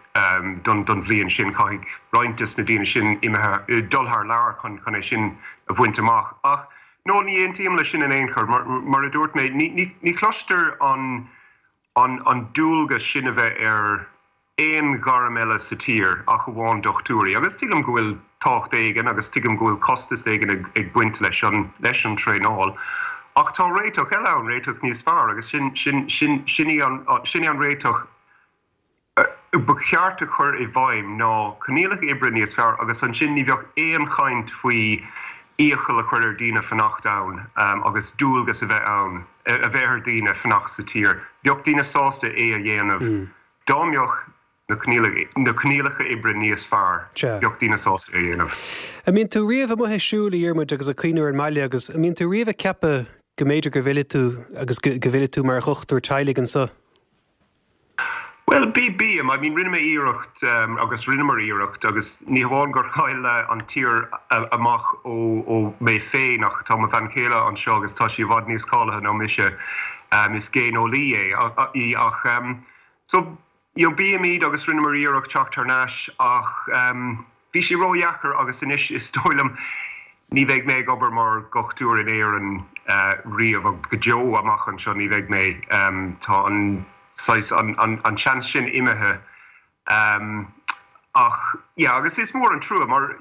don don bhliain sin. Caithfidh roinnt des na daoine sin imithe dul thar lear chun chun é sin a bhaint amach. Ach no, ní aontaím leis sin in aon chor. Mar mar a dúirt mé, ní ní ní chloistear an an an dualgas sin a bheith ar aon ghairm eile sa tír ach amháin dochtúirí. Agus tuigim go bhfuil tábhacht éigin agus tuigim go bhfuil costas éigin ag ag baint leis an leis an traenáil. Ach tá réiteach eile ann, réiteach níos fearr agus sin sin sin sin í an sin í an réiteach ba cheart a chur i bhfeidhm ná coinníollacha oibre níos fearr agus ansin ní bheadh aon chaint faoi iachall a chur ar daoine fanacht ann agus dualgas a bheith ann a bheith ar daoine fanacht sa tír. Bheadh daoine sásta é a dhéanamh dá mbeadh na coinníollacha oibre níos fearr, bheadh daoine sásta é a dhéanamh. An mbíonn tú riamh amuigh ag siúl, a Dhiarmuid, agus ag cuimhniú ar an mbaile agus an mbíonn tú riamh ag ceapadh go mb'fhéidir go bhfillfidh tú agus go bhfillfidh tú mar dhochtúir teaghlaigh anseo? Bhuel, bí, bím. I mean, rinne mé iarracht agus rinneamar iarracht agus ní hamháin gur chaill an tír amach ó ó mé féin ach tá mo bhean chéile anseo agus tá sí i bhfad níos cáilithe ná mise. Is géineolaí é í ach so you know, bímid agus rinneamar iarracht teacht thar n-ais ach bhí sé ródheacair agus anois is dóigh liom ní bheidh mé ag obair mar dhochtúir in Éirinn riamh go deo amach anseo ní bheidh mé. Tá an saghas an an an seans sin imithe ach yeah agus is mór an trua mar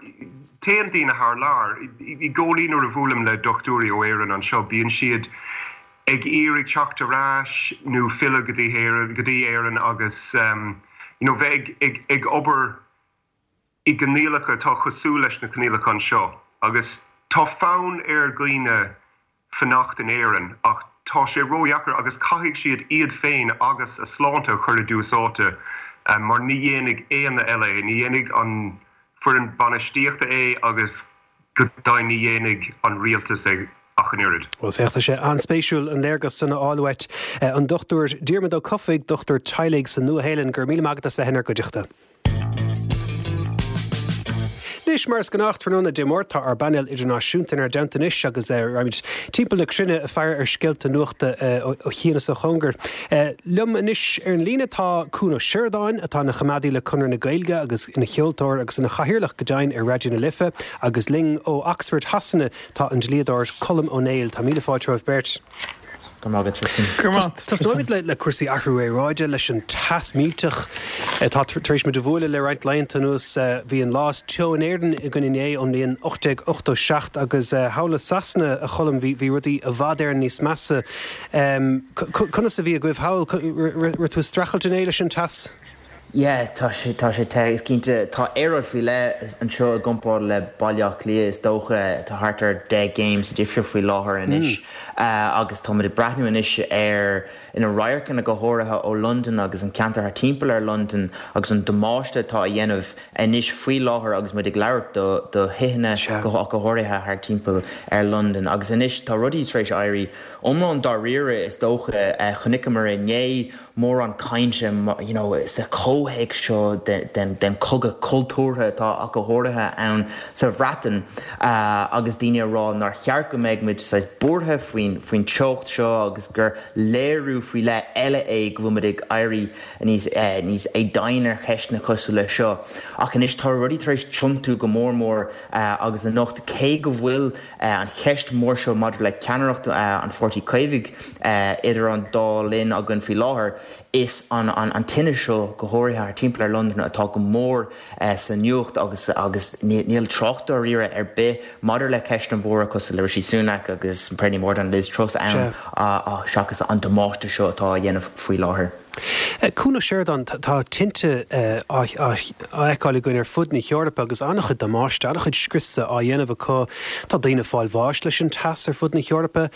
téann daoine thar lear i gcónaí nuair a bhuailim le dochtúirí ó Éirinn anseo bíonn siad ag iarraidh teacht ar ais nó filleadh go dtí Éirinn go dtí Éirinn agus you know bheith ag ag ag obair i gcoinníollacha atá cosúil leis na coinníollacha anseo agus tá fonn ar dhaoine fanacht in Éirinn ach tá sé ródheacair agus caithfidh siad iad féin agus a sláinte a chur i dtús áite mar ní dhéanfaidh éinne eile é, ní dhéanfaidh an foireann bainistíochta é agus go deimhin ní dhéanfaidh an rialtas é ach an oiread. Bhuel, féach, tá sé an-spéisiúil an léargas san a fháil uait. An Dochtúir Diarmuid Ó Cofaigh, dochtúir teaghlaigh sa Nua-Shéalainn, go raibh míle maith agat as bheith inár gcuideachta. Anois, mar is gnách tráthnóna Dé Máirt, tá ár bpainéal idirnáisiúnta inár dteannta anois agus raghaimid timpeall na cruinne ag faire ar scéalta nuachta ó chian is ó chóngar. Liom anois ar an líne tá Cuan Ó Seireadáin, atá ina choimeádaí le Conradh na Gaeilge agus ina cheoltóir agus ina chathaoirleach go deimhin ar Raidió na Life, agus linn ó Oxford Shasana tá an dlíodóir Colm Ó Néill. Tá míle fáilte romhaibh beirt. Go raibh maith agat, Tristan. Go raibh maith. Tosnóimid le cúrsaí athrú aeráide, leis an teas millteach atá tar éis muid a bhualadh le roinnt laethanta anuas. Bhí an lá is teo in Éirinn againn inné ón mbliain ocht déag ochtó seacht agus thall i Sasana, a Choilm, bhí rudaí i bhfad Éireann níos measa. Conas a bhí agaibh thall? Raibh tú ag streachailt inné leis an teas? Yeah, tá sé, tá sé te, is cinnte. Tá aeráid faoi leith anseo i gcomparáid le Baile Átha Cliath, is dócha. Tá thart ar deich gcéim sa difríocht faoi láthair anois agus táimid ag breathnú anois ar na radharcanna go háirithe ó Londain agus an ceantar thart timpeall ar Londain agus an damáiste atá á dhéanamh anois faoi láthair agus muid ag labhairt do do thithe go go háirithe thart timpeall ar Londain. Agus anois tá rudaí tar éis éirí iomlán dáiríre is dócha. Chonaiceamar inné mórán cainte you know sa chomhthéacs seo den den chogadh cultúrtha atá ach go háirithe ann sa Bhreatain agus daoine ag rá nár cheart go mbeadh muid saghas buartha faoin faoin teocht seo agus gur léiriú faoi leith eile é go bhfuil muid ag éirí níos níos éadoimhne ar cheisteanna cosúil leis seo. Ach anois tá rudaí tar éis tiontú go mór mór agus anocht cé go bhfuil an cheist mhór seo maidir le ceannaireacht an Pháirtí Chaomhaigh idir an dá linn againn faoi láthair, is an an tine seo go háirithe thart timpeall ar Londain atá go mór sa nuacht agus agus níl trácht dáiríre ar bith maidir le ceisteanna móra cosúil le Rishi Sunak agus Penny Mordaunt, Liz Truss ann seachas an damáiste seo atá á dhéanamh faoi láthair. Cuan Ó Seireadáin, tá tinte á fheiceáil againn ar fud na hEorpa agus an-chuid damáiste, an-chuid scriosa á dhéanamh acu. Tá daoine ag fáil bháis leis an teas ar fud na hEorpa.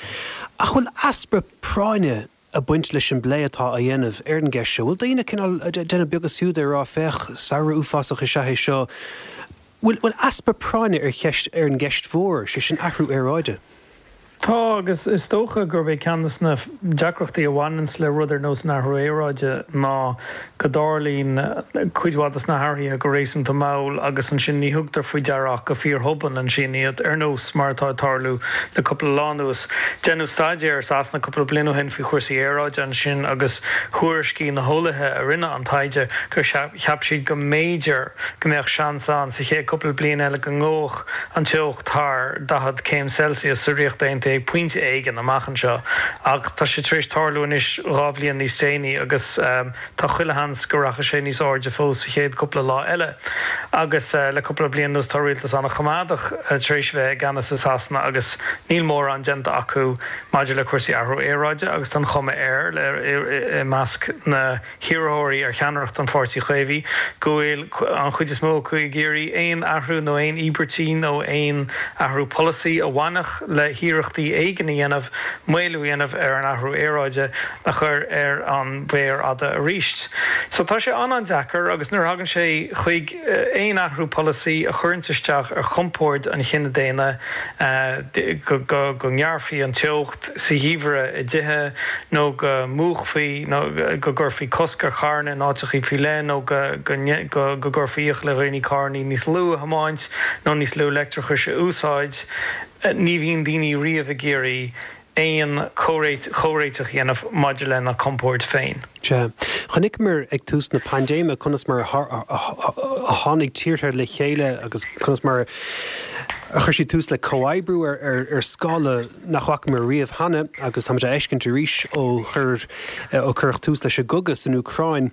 Ach bhfuil easpa práinne ag baint leis an bplé atá á dhéanamh ar an gceist seo? Bhfuil daoine cineál ag déanamh beag is fiú de, ag rá féach, samhradh uafásach is ea é seo? Bhfuil bhfuil easpa práinne ar cheist ar an gceist mhór, sé sin athrú aeráide? Tá, agus is dócha gurb é ceann de na deacrachtaí a bhaineanns le rud ar nós an athrú aeráide ná go dtarlaíonn cuid mhaith de na hathruithe go réasúnta mall agus ansin ní thugtar faoi deara ach go fíorthobann ansin iad, ar nós mar atá ag tarlú le cúpla lá anuas. Deineadh staidéar i Sasana cúpla bliain ó shin faoi chúrsaí aeráide ansin agus thuairiscigh na heolaithe a rinne an taighde gur cheap siad go mb'fhéidir go mbeadh seans ann sa chéad cúpla bliain eile go ngabhfadh an teocht thar daichead céim Celsius sa Ríocht Aontaithe ag pointe éigin amach anseo ach tá sé tar éis tarlú anois dhá bhliain níos déanaí agus tá chuile sheans go rachaidh sé níos airde fós sa chéad cúpla lá eile. Agus le cúpla bliain anuas tá rialtas an-choimeádach tar éis bheith i gceannas i Sasana agus níl mórán déanta acu maidir le cúrsaí athrú aeráide agus tá an chuma air i measc na hiarrthóirí ar cheannaireacht an Pháirtí Chaomhaigh go bhfuil an chuid is mó acu ag iarraidh aon athrú nó aon íobairtí nó aon athrú polasaí a bhainfeadh le hiarrachtaí éigin a dhéanamh maolú a dhéanamh ar an athrú aeráide a chur ar an mhéar fhada arís. So tá sé an-an-deacair agus nuair a thagann sé chuig aon athrú polasaí a chuireanns isteach ar chompord an chine daonna go go ngearrfaí an teocht sa gheimhreadh i dtithe nó go múchfaí nó go gcuirfí cosc ar charranna in áiteachaí faoi leith nó go go go gcuirfí iachall ar dhaoine carrannaí níos lú a thiomáint nó níos lú leictreachais a úsáid. Ní bhíonn daoine riamh ag iarraidh aon chomhréiteach a dhéanamh maidir lena gcompord féin. Sea. Chonaiceamar ag tús na paindéime conas mar a tháinig tíortha le chéile agus conas mar a chuir siad tús le comhoibriú ar scála nach bhfacamar riamh cheana agus táimid á fheiscint arís ó chuir ó cuireadh tús leis an gcogadh san Úcráin.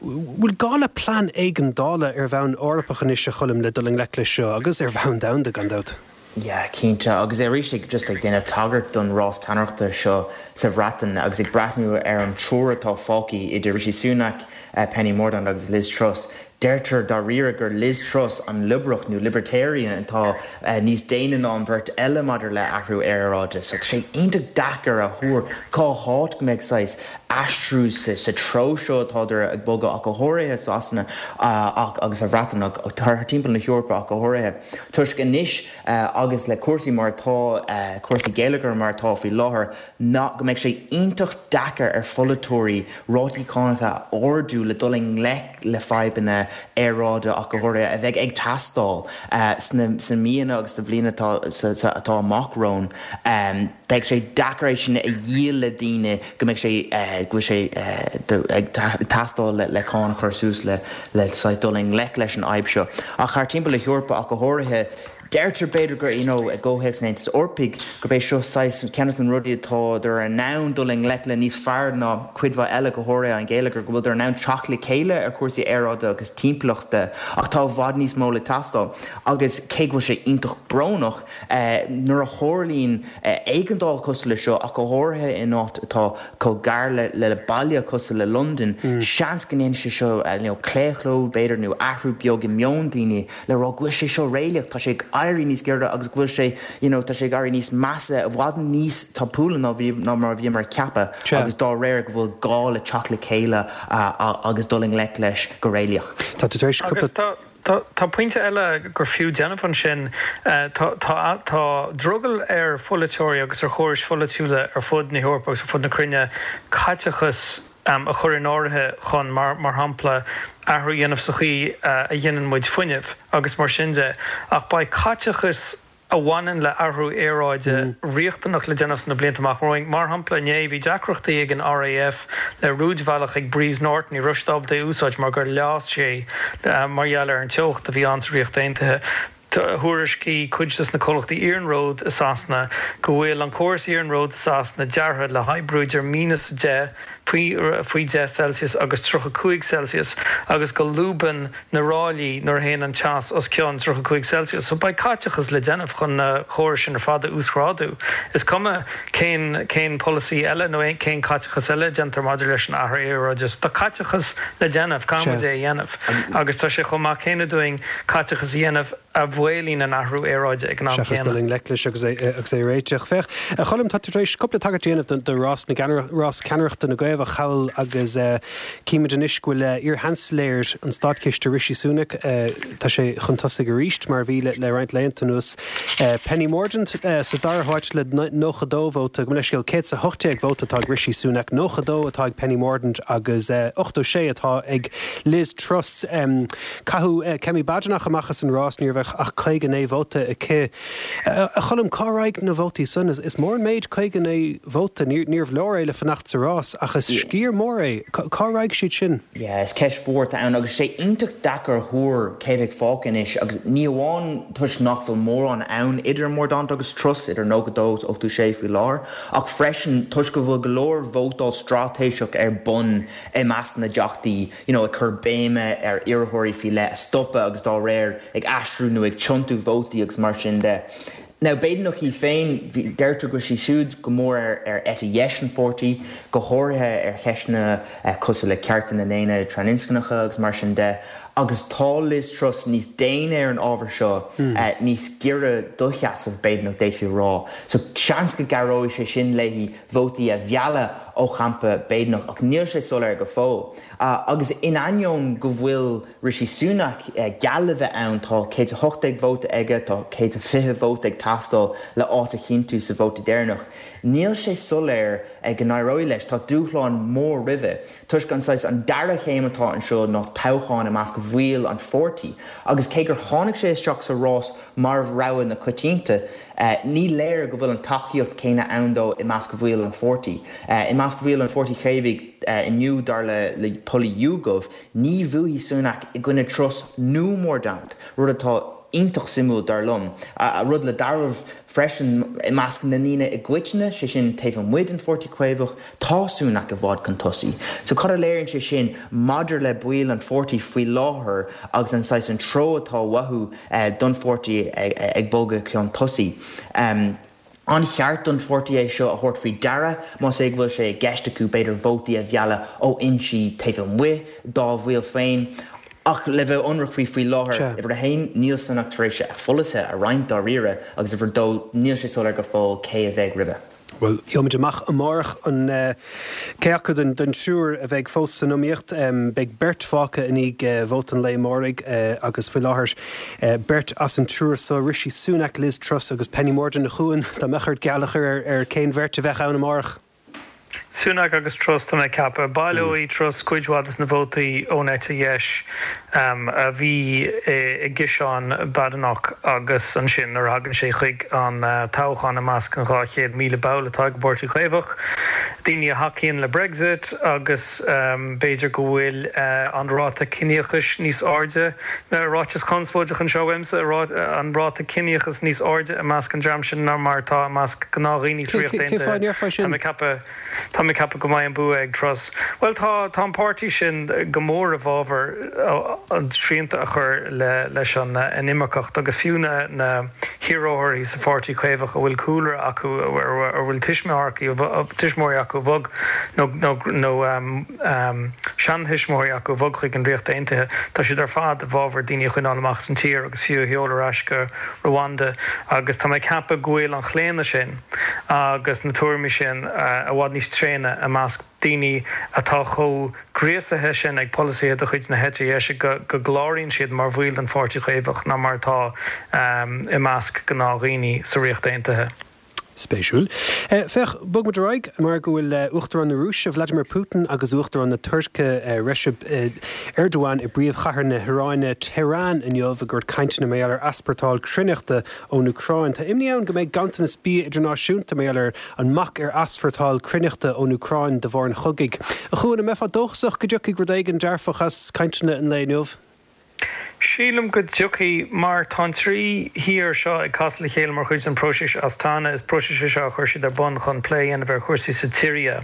Bhfuil gá le plean éigeandála ar bhonn Eorpach anois, a Choilm, le dul i ngleic leis seo agus ar bhonn domhanda, gan dabht? Yeah, cinnte. Agus arís ag just ag déanamh tagairt don rás ceannaireachta seo sa Bhreatain agus ag breathnú ar an triúr atá fágtha idir Rishi Sunak, Penny Mordaunt agus Liz Truss, deirtear dáiríre gur Liz Truss an liobrach nó libertarian atá níos déine ná an bheirt eile maidir le athrú aeráide. So tá sé iontach deacair a thuar cá háit go mbeidh saghas aistriú sa treo seo atádar ag bogadh ach go háirithe Sasana ach agus sa Bhreatain ach thar timpeall na hEorpa ach go háirithe toisc anois agus le cúrsaí mar atá cúrsaí geilleagair mar atá faoi láthair ná go mbeidh sé iontach deacair ar pholaiteoirí rátaí cánacha a ardú le dul i ngleic le fadhbanna aeráide ach go háirithe a bheidh ag teastáil sna sna míonna agus sna blianta atá atá amach romhainn. Beidh sé deacair é sin a dhíol le daoine go mbeidh sé go bhfuil sé ag teastáil le cáin a chur suas le le saghas dul i ngleic leis an fhadhb seo. Ach thar timpeall na hEorpa ach go háirithe, Deirtear b'fhéidir gur, you know, i gcomhthéacs an Aontais Eorpaigh, gurb é seo saghas ceann de na rudaí atá in ann dul i ngleic le níos fearr ná cuid mhaith eile, go háirithe an geilleagar, go bhfuiltear in ann teacht le chéile ar chúrsaí aeráide agus timpeallachta ach tá i bhfad níos mó le teastáil agus cé go bhfuil sé iontach brónach nuair a tharlaíonn éigeandáil cosúil le seo ach go háirithe in áit atá chomh gar le le baile cosúil le Londain, seans go ndéanfaidh sé seo you know claochló b'fhéidir nó athrú beag i meon daoine le rá go bhfuil sé seo réalaíoch, tá sé ag éirí níos giorra agus go bhfuil sé you know tá sé ag éirí níos measa i bhfad níos tapúla ná bhí ná mar a bhíomar ag ceapadh agus dá réir go bhfuil gá le teacht le chéile agus dul i ngleic leis go réalaíoch. Tá tú tar éis cúpla. Agus tá tá tá pointe eile gur fiú déanamh ansin, tá tá tá drogall ar pholaiteoirí agus ar chórais pholaitiúla ar fud na hEorpa agus ar fud na cruinne caiteachas a chur in áirithe chun, mar shampla, athrú a dhéanamh sa chaoi a ghineann muid fuinneamh agus mar sin de. Ach beidh caiteachas a bhaineann le athrú aeráide riachtanach le déanamh sna blianta amach romhainn. Mar shampla, inné bhí deacrachtaí ag an RAF le rúidbhealach ag Brize Norton, ní raibh siad ábalta é a úsáid mar gur leá sé mar gheall ar an teocht a bhí ann sa Ríocht Aontaithe. Thuairiscigh cuid de na comhlachtaí iarnróid i Sasana go bhfuil an córas iarnróid i Sasana deartha le hoibriú idir míneas a deich, faoi deich Celsius agus tríocha cúig Celsius agus go lúbann na ráillí nuair a théann an teas os cionn tríocha cúig Celsius. So beidh caiteachas le déanamh chun na córais sin ar fad a uasghrádú. Is cuma cén cén polasaí eile nó cén caiteachas eile a déantar maidir leis an athrú aeráide. Tá caiteachas le déanamh, caithfidh muid é a dhéanamh agus tá sé chomh maith céanna dúinn caiteachas a dhéanamh a mhaolaíonn an athrú aeráide ag an am Seachas dul céanna. i ngleic leis agus é agus é a réiteach. Féach, a Choilm, tá tú tar éis cúpla tagairt a dhéanamh do rás na rás ceannaireachta na gCaomhach thall agus címid anois go bhfuil iar-Sheansailéir an Státchiste Rishi Sunak, tá sé chun tosaigh arís mar a bhí le roinnt laethanta anuas. Penny Mordaunt sa dara háit le nócha dó vóta, gabh mo leithscéal, céad is a hocht déag vóta atá ag Rishi Sunak, nócha dó atá ag Penny Mordaunt agus ochtó sé atá ag Liz Truss. Caitheadh Kemi Badenoch amach as an rás, ní raibh ach caoga naoi vóta aici. A Choilm, cá raghaidh na vótaí san? Is mór an méid caoga naoi vóta. Níorbh leor é le fanacht sa rás, ach is sciar mór é. Cá raghaidh siad sin? Yeah, is ceist mhór atá ann agus sé iontach deacair a thuar cé bheidh fágtha anois agus ní amháin toisc nach bhfuil mórán ann idir Mordaunt agus Truss, idir nócha dó is ochtó sé faoi láthair, ach freisin toisc go bhfuil go leor vótáil straitéiseach ar bun i measc na dteachtaí, you know, ag cur béime ar iarrthóirí faoi leith a stopadh agus dá réir ag aistriú nó ag tiontú vótaí agus mar sin de. Now, Badenoch í féin, deirtear go bhfuil sí siúd go mór ar ar eite dheis an pháirtí, go háirithe ar cheisteanna cosúil le cearta na ndaoine trasinscneacha agus mar sin de, agus tá Liz Truss níos déine ar an ábhar seo, níos giorra do sheasamh Badenoch d'fhéadfaí a rá. So seans go gcabhróidh sé sin léi vótaí a mhealladh ó champa Badenoch, ach níl sé soiléir go fóill. Agus in ainneoin go bhfuil Rishi Sunak geall le bheith ann, tá céad is a hocht déag vóta aige, tá céad is fiche vóta ag teastáil le áit a chinntiú sa vóta deireanach, níl sé soiléir go n-éireoidh leis. Tá dúshlán mór roimhe, toisc an saghas an dara chéim atá anseo ná toghchán i measc bhaill an pháirtí. Agus cé gur tháinig sé isteach sa rás mar rogha na coitianta, Ní léir go bhfuil an tacaíocht chéanna ann dó i measc bhaill an pháirtí. I measc bhaill an Pháirtí Chaomhaigh inniu, dar le pollaí YouGov, ní bhuafaidh Sunak i gcoinne Truss nó Mordaunt, rud atá iontach suimiúil dar liom. Rud le dealramh freisin, i measc na ndaoine i gcoitinne, sé sin taobh amuigh den Pháirtí Caomhach, tá Sunak i bhfad chun tosaigh. So cad a léiríonn sé sin maidir le baill an pháirtí faoi láthair agus an saghas an treo atá uathu don pháirtí ag bogadh chun tosaigh? An cheart don pháirtí é seo a thabhairt faoi deara más é go bhfuil sé i gceist acu b'fhéidir vótaí a mhealladh ó fhoinsí taobh amuigh dá bhaill féin? Ach le bheith ionraic faoi faoi láthair, uimhir a haon, níl Sunak tar éis a pholasaithe a roinnt dáiríre agus uimhir a dó, níl sé soiléir go fóill cé a bheidh roimhe. Bhuel, gheobhaimid amach amárach an cé acu den triúr a bheidh fós san iomaíocht. Beidh beirt fágtha i ndiaidh vóta an lae amáraigh agus faoi láthair beirt as an triúr so, Rishi Sunak, Liz Truss agus Penny Mordaunt. A Chuain, dá mbeadh ort geall a chur ar cén bheirt a bheadh ann amárach? Sunak agus Truss, tá mé ag ceapadh. Baileoidh Truss cuid mhaith des na vótaí ón eite dheis a bhí i gciseán Badenoch agus ansin nuair a thagann sé chuig an toghchán i measc an dhá chéad míle ball atá ag an bPáirtí Caomhach, daoine a thacaíonn le Brexit agus b'fhéidir go bhfuil an ráta ciníochais níos airde, ráiteas conspóideach anseo uaimse, an ráta ciníochais níos airde i measc an dream sin ná mar atá i measc gnáthdhaoine sa Ríocht Cén fáth a ndéarfá sin? Tá mé ag ceapadh, tá mé ag ceapadh go mbeidh an bua ag Truss. Bhuel tá, tá an páirtí sin go mór i bhfabhar an srianta a chur le leis an inimirceacht agus fiú na na hiarrthóirí sa Pháirtí Caomhach a bhfuil cúlra acu, a bhfuil tuismitheoirí acu a bhog nó nó seantuismitheoirí acu a bhog chuig an Ríocht Aontaithe, tá siad ar fad i bhfabhar daoine a choinneáil amach as an tír agus fiú a sheoladh ar ais go Rwanda agus tá mé ag ceapadh go bhfuil an chlaonadh sin agus na tuairimí sin i bhfad níos tréine i measc daoine atá chomh gríosaithe sin ag polasaithe de chuid na heite dheise go gcláraíonn siad mar bhaill den Pháirtí Caomhach ná mar atá i measc gnáthdhaoine sa Ríocht Aontaithe. Spéisiúil. Féach, bog muid ar aghaidh mar go bhfuil Uachtarán na Rúise, Vladimir Putin agus Uachtarán na Tuirce, Recep Erdogan i bpríomhchathair na hIaráine, Tehran inniu ag tabhairt cainteanna mar gheall ar easpórtáil cruithneachta ón Úcráin. Tá imní ann go mbeidh ganntanas bia idirnáisiúnta mar gheall ar an mbac ar easpórtáil cruithneachta ón Úcráin de bharr an chogaidh. A Chuain, an mbeifeá dóchasach go dtiocfaidh rud éigin dearfach as cainteanna an lae inniu? Sílim go dtiocfaidh, mar tá an trí thír seo ag casadh le chéile mar chuid den próiseas Astana. Is próiseas é seo a chuir siad ar bun chun plé a dhéanamh ar chúrsaí sa tSiria.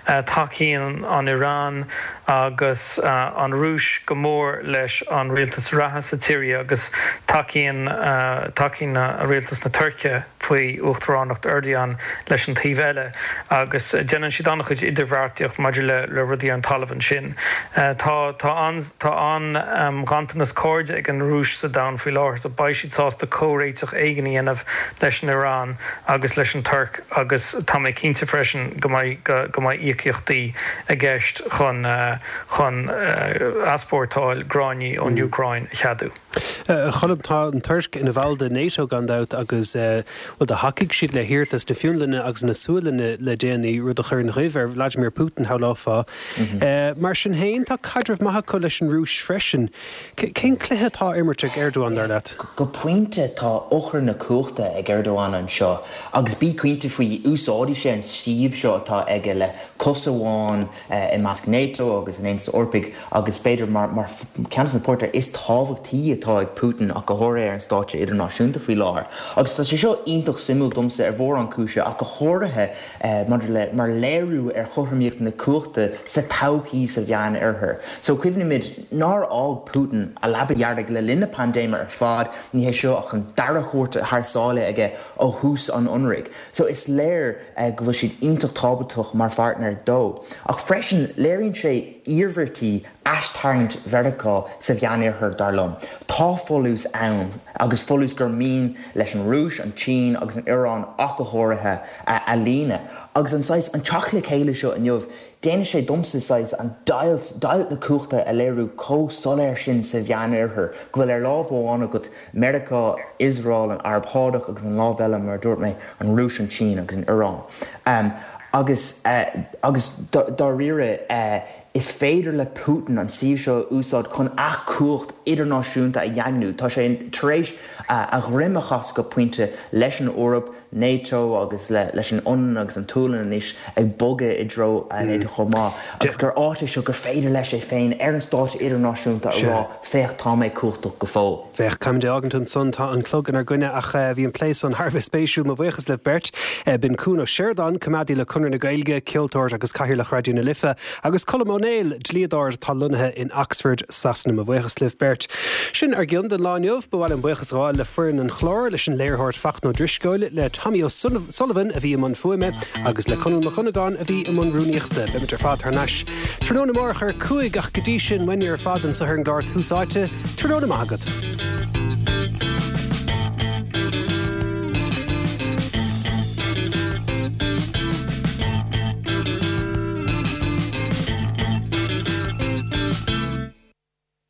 Tacaíonn an Iaráin agus an Rúis go mór leis an rialtas reatha sa tSiria agus tacaíonn tacaíonn rialtas na Tuirce faoi uachtaránacht Erdogan leis an taobh eile agus déanann siad an-chuid idirbheartaíocht maidir le le rudaí ar an talamh ansin. Tá tá an tá an-ghanntanas cairde ag an Rúis sa domhan faoi láthair so beidh siad sásta comhréiteach éigin a dhéanamh leis an Iaráin agus leis an Tuirc agus tá mé cinnte freisin go mbeidh go mbeidh íocaíochtaí i gceist chun chun easpórtáil gráinní ón Úcráin a cheadú. A Cholm, tá an Tuirc ina bhall de NATO gan dabht agus bhuel do thacaigh siad le hiarratas na Fionlainne agus na Sualainne le déanaí, rud a chuir an ghoimh ar Vladimir Putin, shamhlófá. Mar sin féin, tá caidreamh maith acu leis an Rúis freisin. Cén cluiche atá á imirt ag Erdogan, dar leat? Go pointe, tá eochair na cumhachta ag Erdogan anseo agus bí cinnte faoi, úsáidfidh sé an suíomh seo atá aige le cos amháin i measc NATO agus an Aontais Eorpaigh agus b'fhéidir mar ceann de na páirtnéirí is tábhachtaí atá ag Putin ach go háirithe ar an stáitse idirnáisiúnta faoi láthair. Agus tá sé seo iontach suimiúil domsa ar mhórán cúise ach go háirithe maidir le mar léiriú ar chothromaíocht na cumhachta sa todhchaí sa Mheánoirthear. So cuimhnímid nár fhág Putin a leaba dhearg le linn na paindéime ar fad, ní hé seo ach an dara cuairt thar sáile aige ó thús an ionraidh. So is léir go bhfuil siad iontach tábhachtach mar pháirtnéir dó. Ach freisin léiríonn sé iarmhairtí aistarraingt Mheiriceá sa Mheánoirthear dar liom. Tá folús ann, agus folús gur mian leis an Rúis, an tSín agus an Iaráin ach go háirithe a líonadh. Agus an saghas, an teacht le chéile seo inniu, déanann sé domsa saghas an deighilt, deighilt na cumhachta a léiriú chomh soiléir sin sa Mheánoirthear, go bhfuil ar lámh amháin agat Meiriceá, Iosrael, an Araib Shádach agus an lámh eile, mar a dúirt mé, an Rúis, an tSín agus an Iaráin. Agus, agus dáiríre, is féidir le Putin an suíomh seo a úsáid chun a chumhacht idirnáisiúnta a dhaingniú. Tá sé tar éis a dhroim a chasadh go pointe leis an Eoraip, NATO agus leis an Fhionlainn agus an tSualainn anois ag bogadh i dtreo NATO chomh maith, agus gur áit é seo gur féidir leis é féin ar an stáitse idirnáisiúnta a rá, féach, tá mé cumhachtach go fóill. Féach, caithfimid é fhágaint ansan, tá an clog inár gcoinne ach bhí an plé san thar a bheith spéisiúil. Mo bhuíochas libh beirt. B'in Cuan Ó Seireadáin, coimeádaí le Conradh na Gaeilge, ceoltóir agus Cathaoirleach Raidió na Life, agus Colm Ó Néill, dlíodóir atá lonnaithe in Oxford, Sasana. Mo bhuíochas libh beirt. Sin ár gcion don lá inniu. Ba mhaith liom buíochas a ghabháil le foireann an chláir, leis an léiritheoir Fachtna Ó Drisceoil, le Tommy O'Sullivan a bhí i mbun fuaime agus le Conall Mac Dhonnagáin a bhí i mbun rúnaíochta. Beimid ar fad thar n-ais tráthnóna amárach ar a cúig ach go dtí sin, uainne ar fad anseo ar an gclár Tús Áite, tráthnóna maith agat.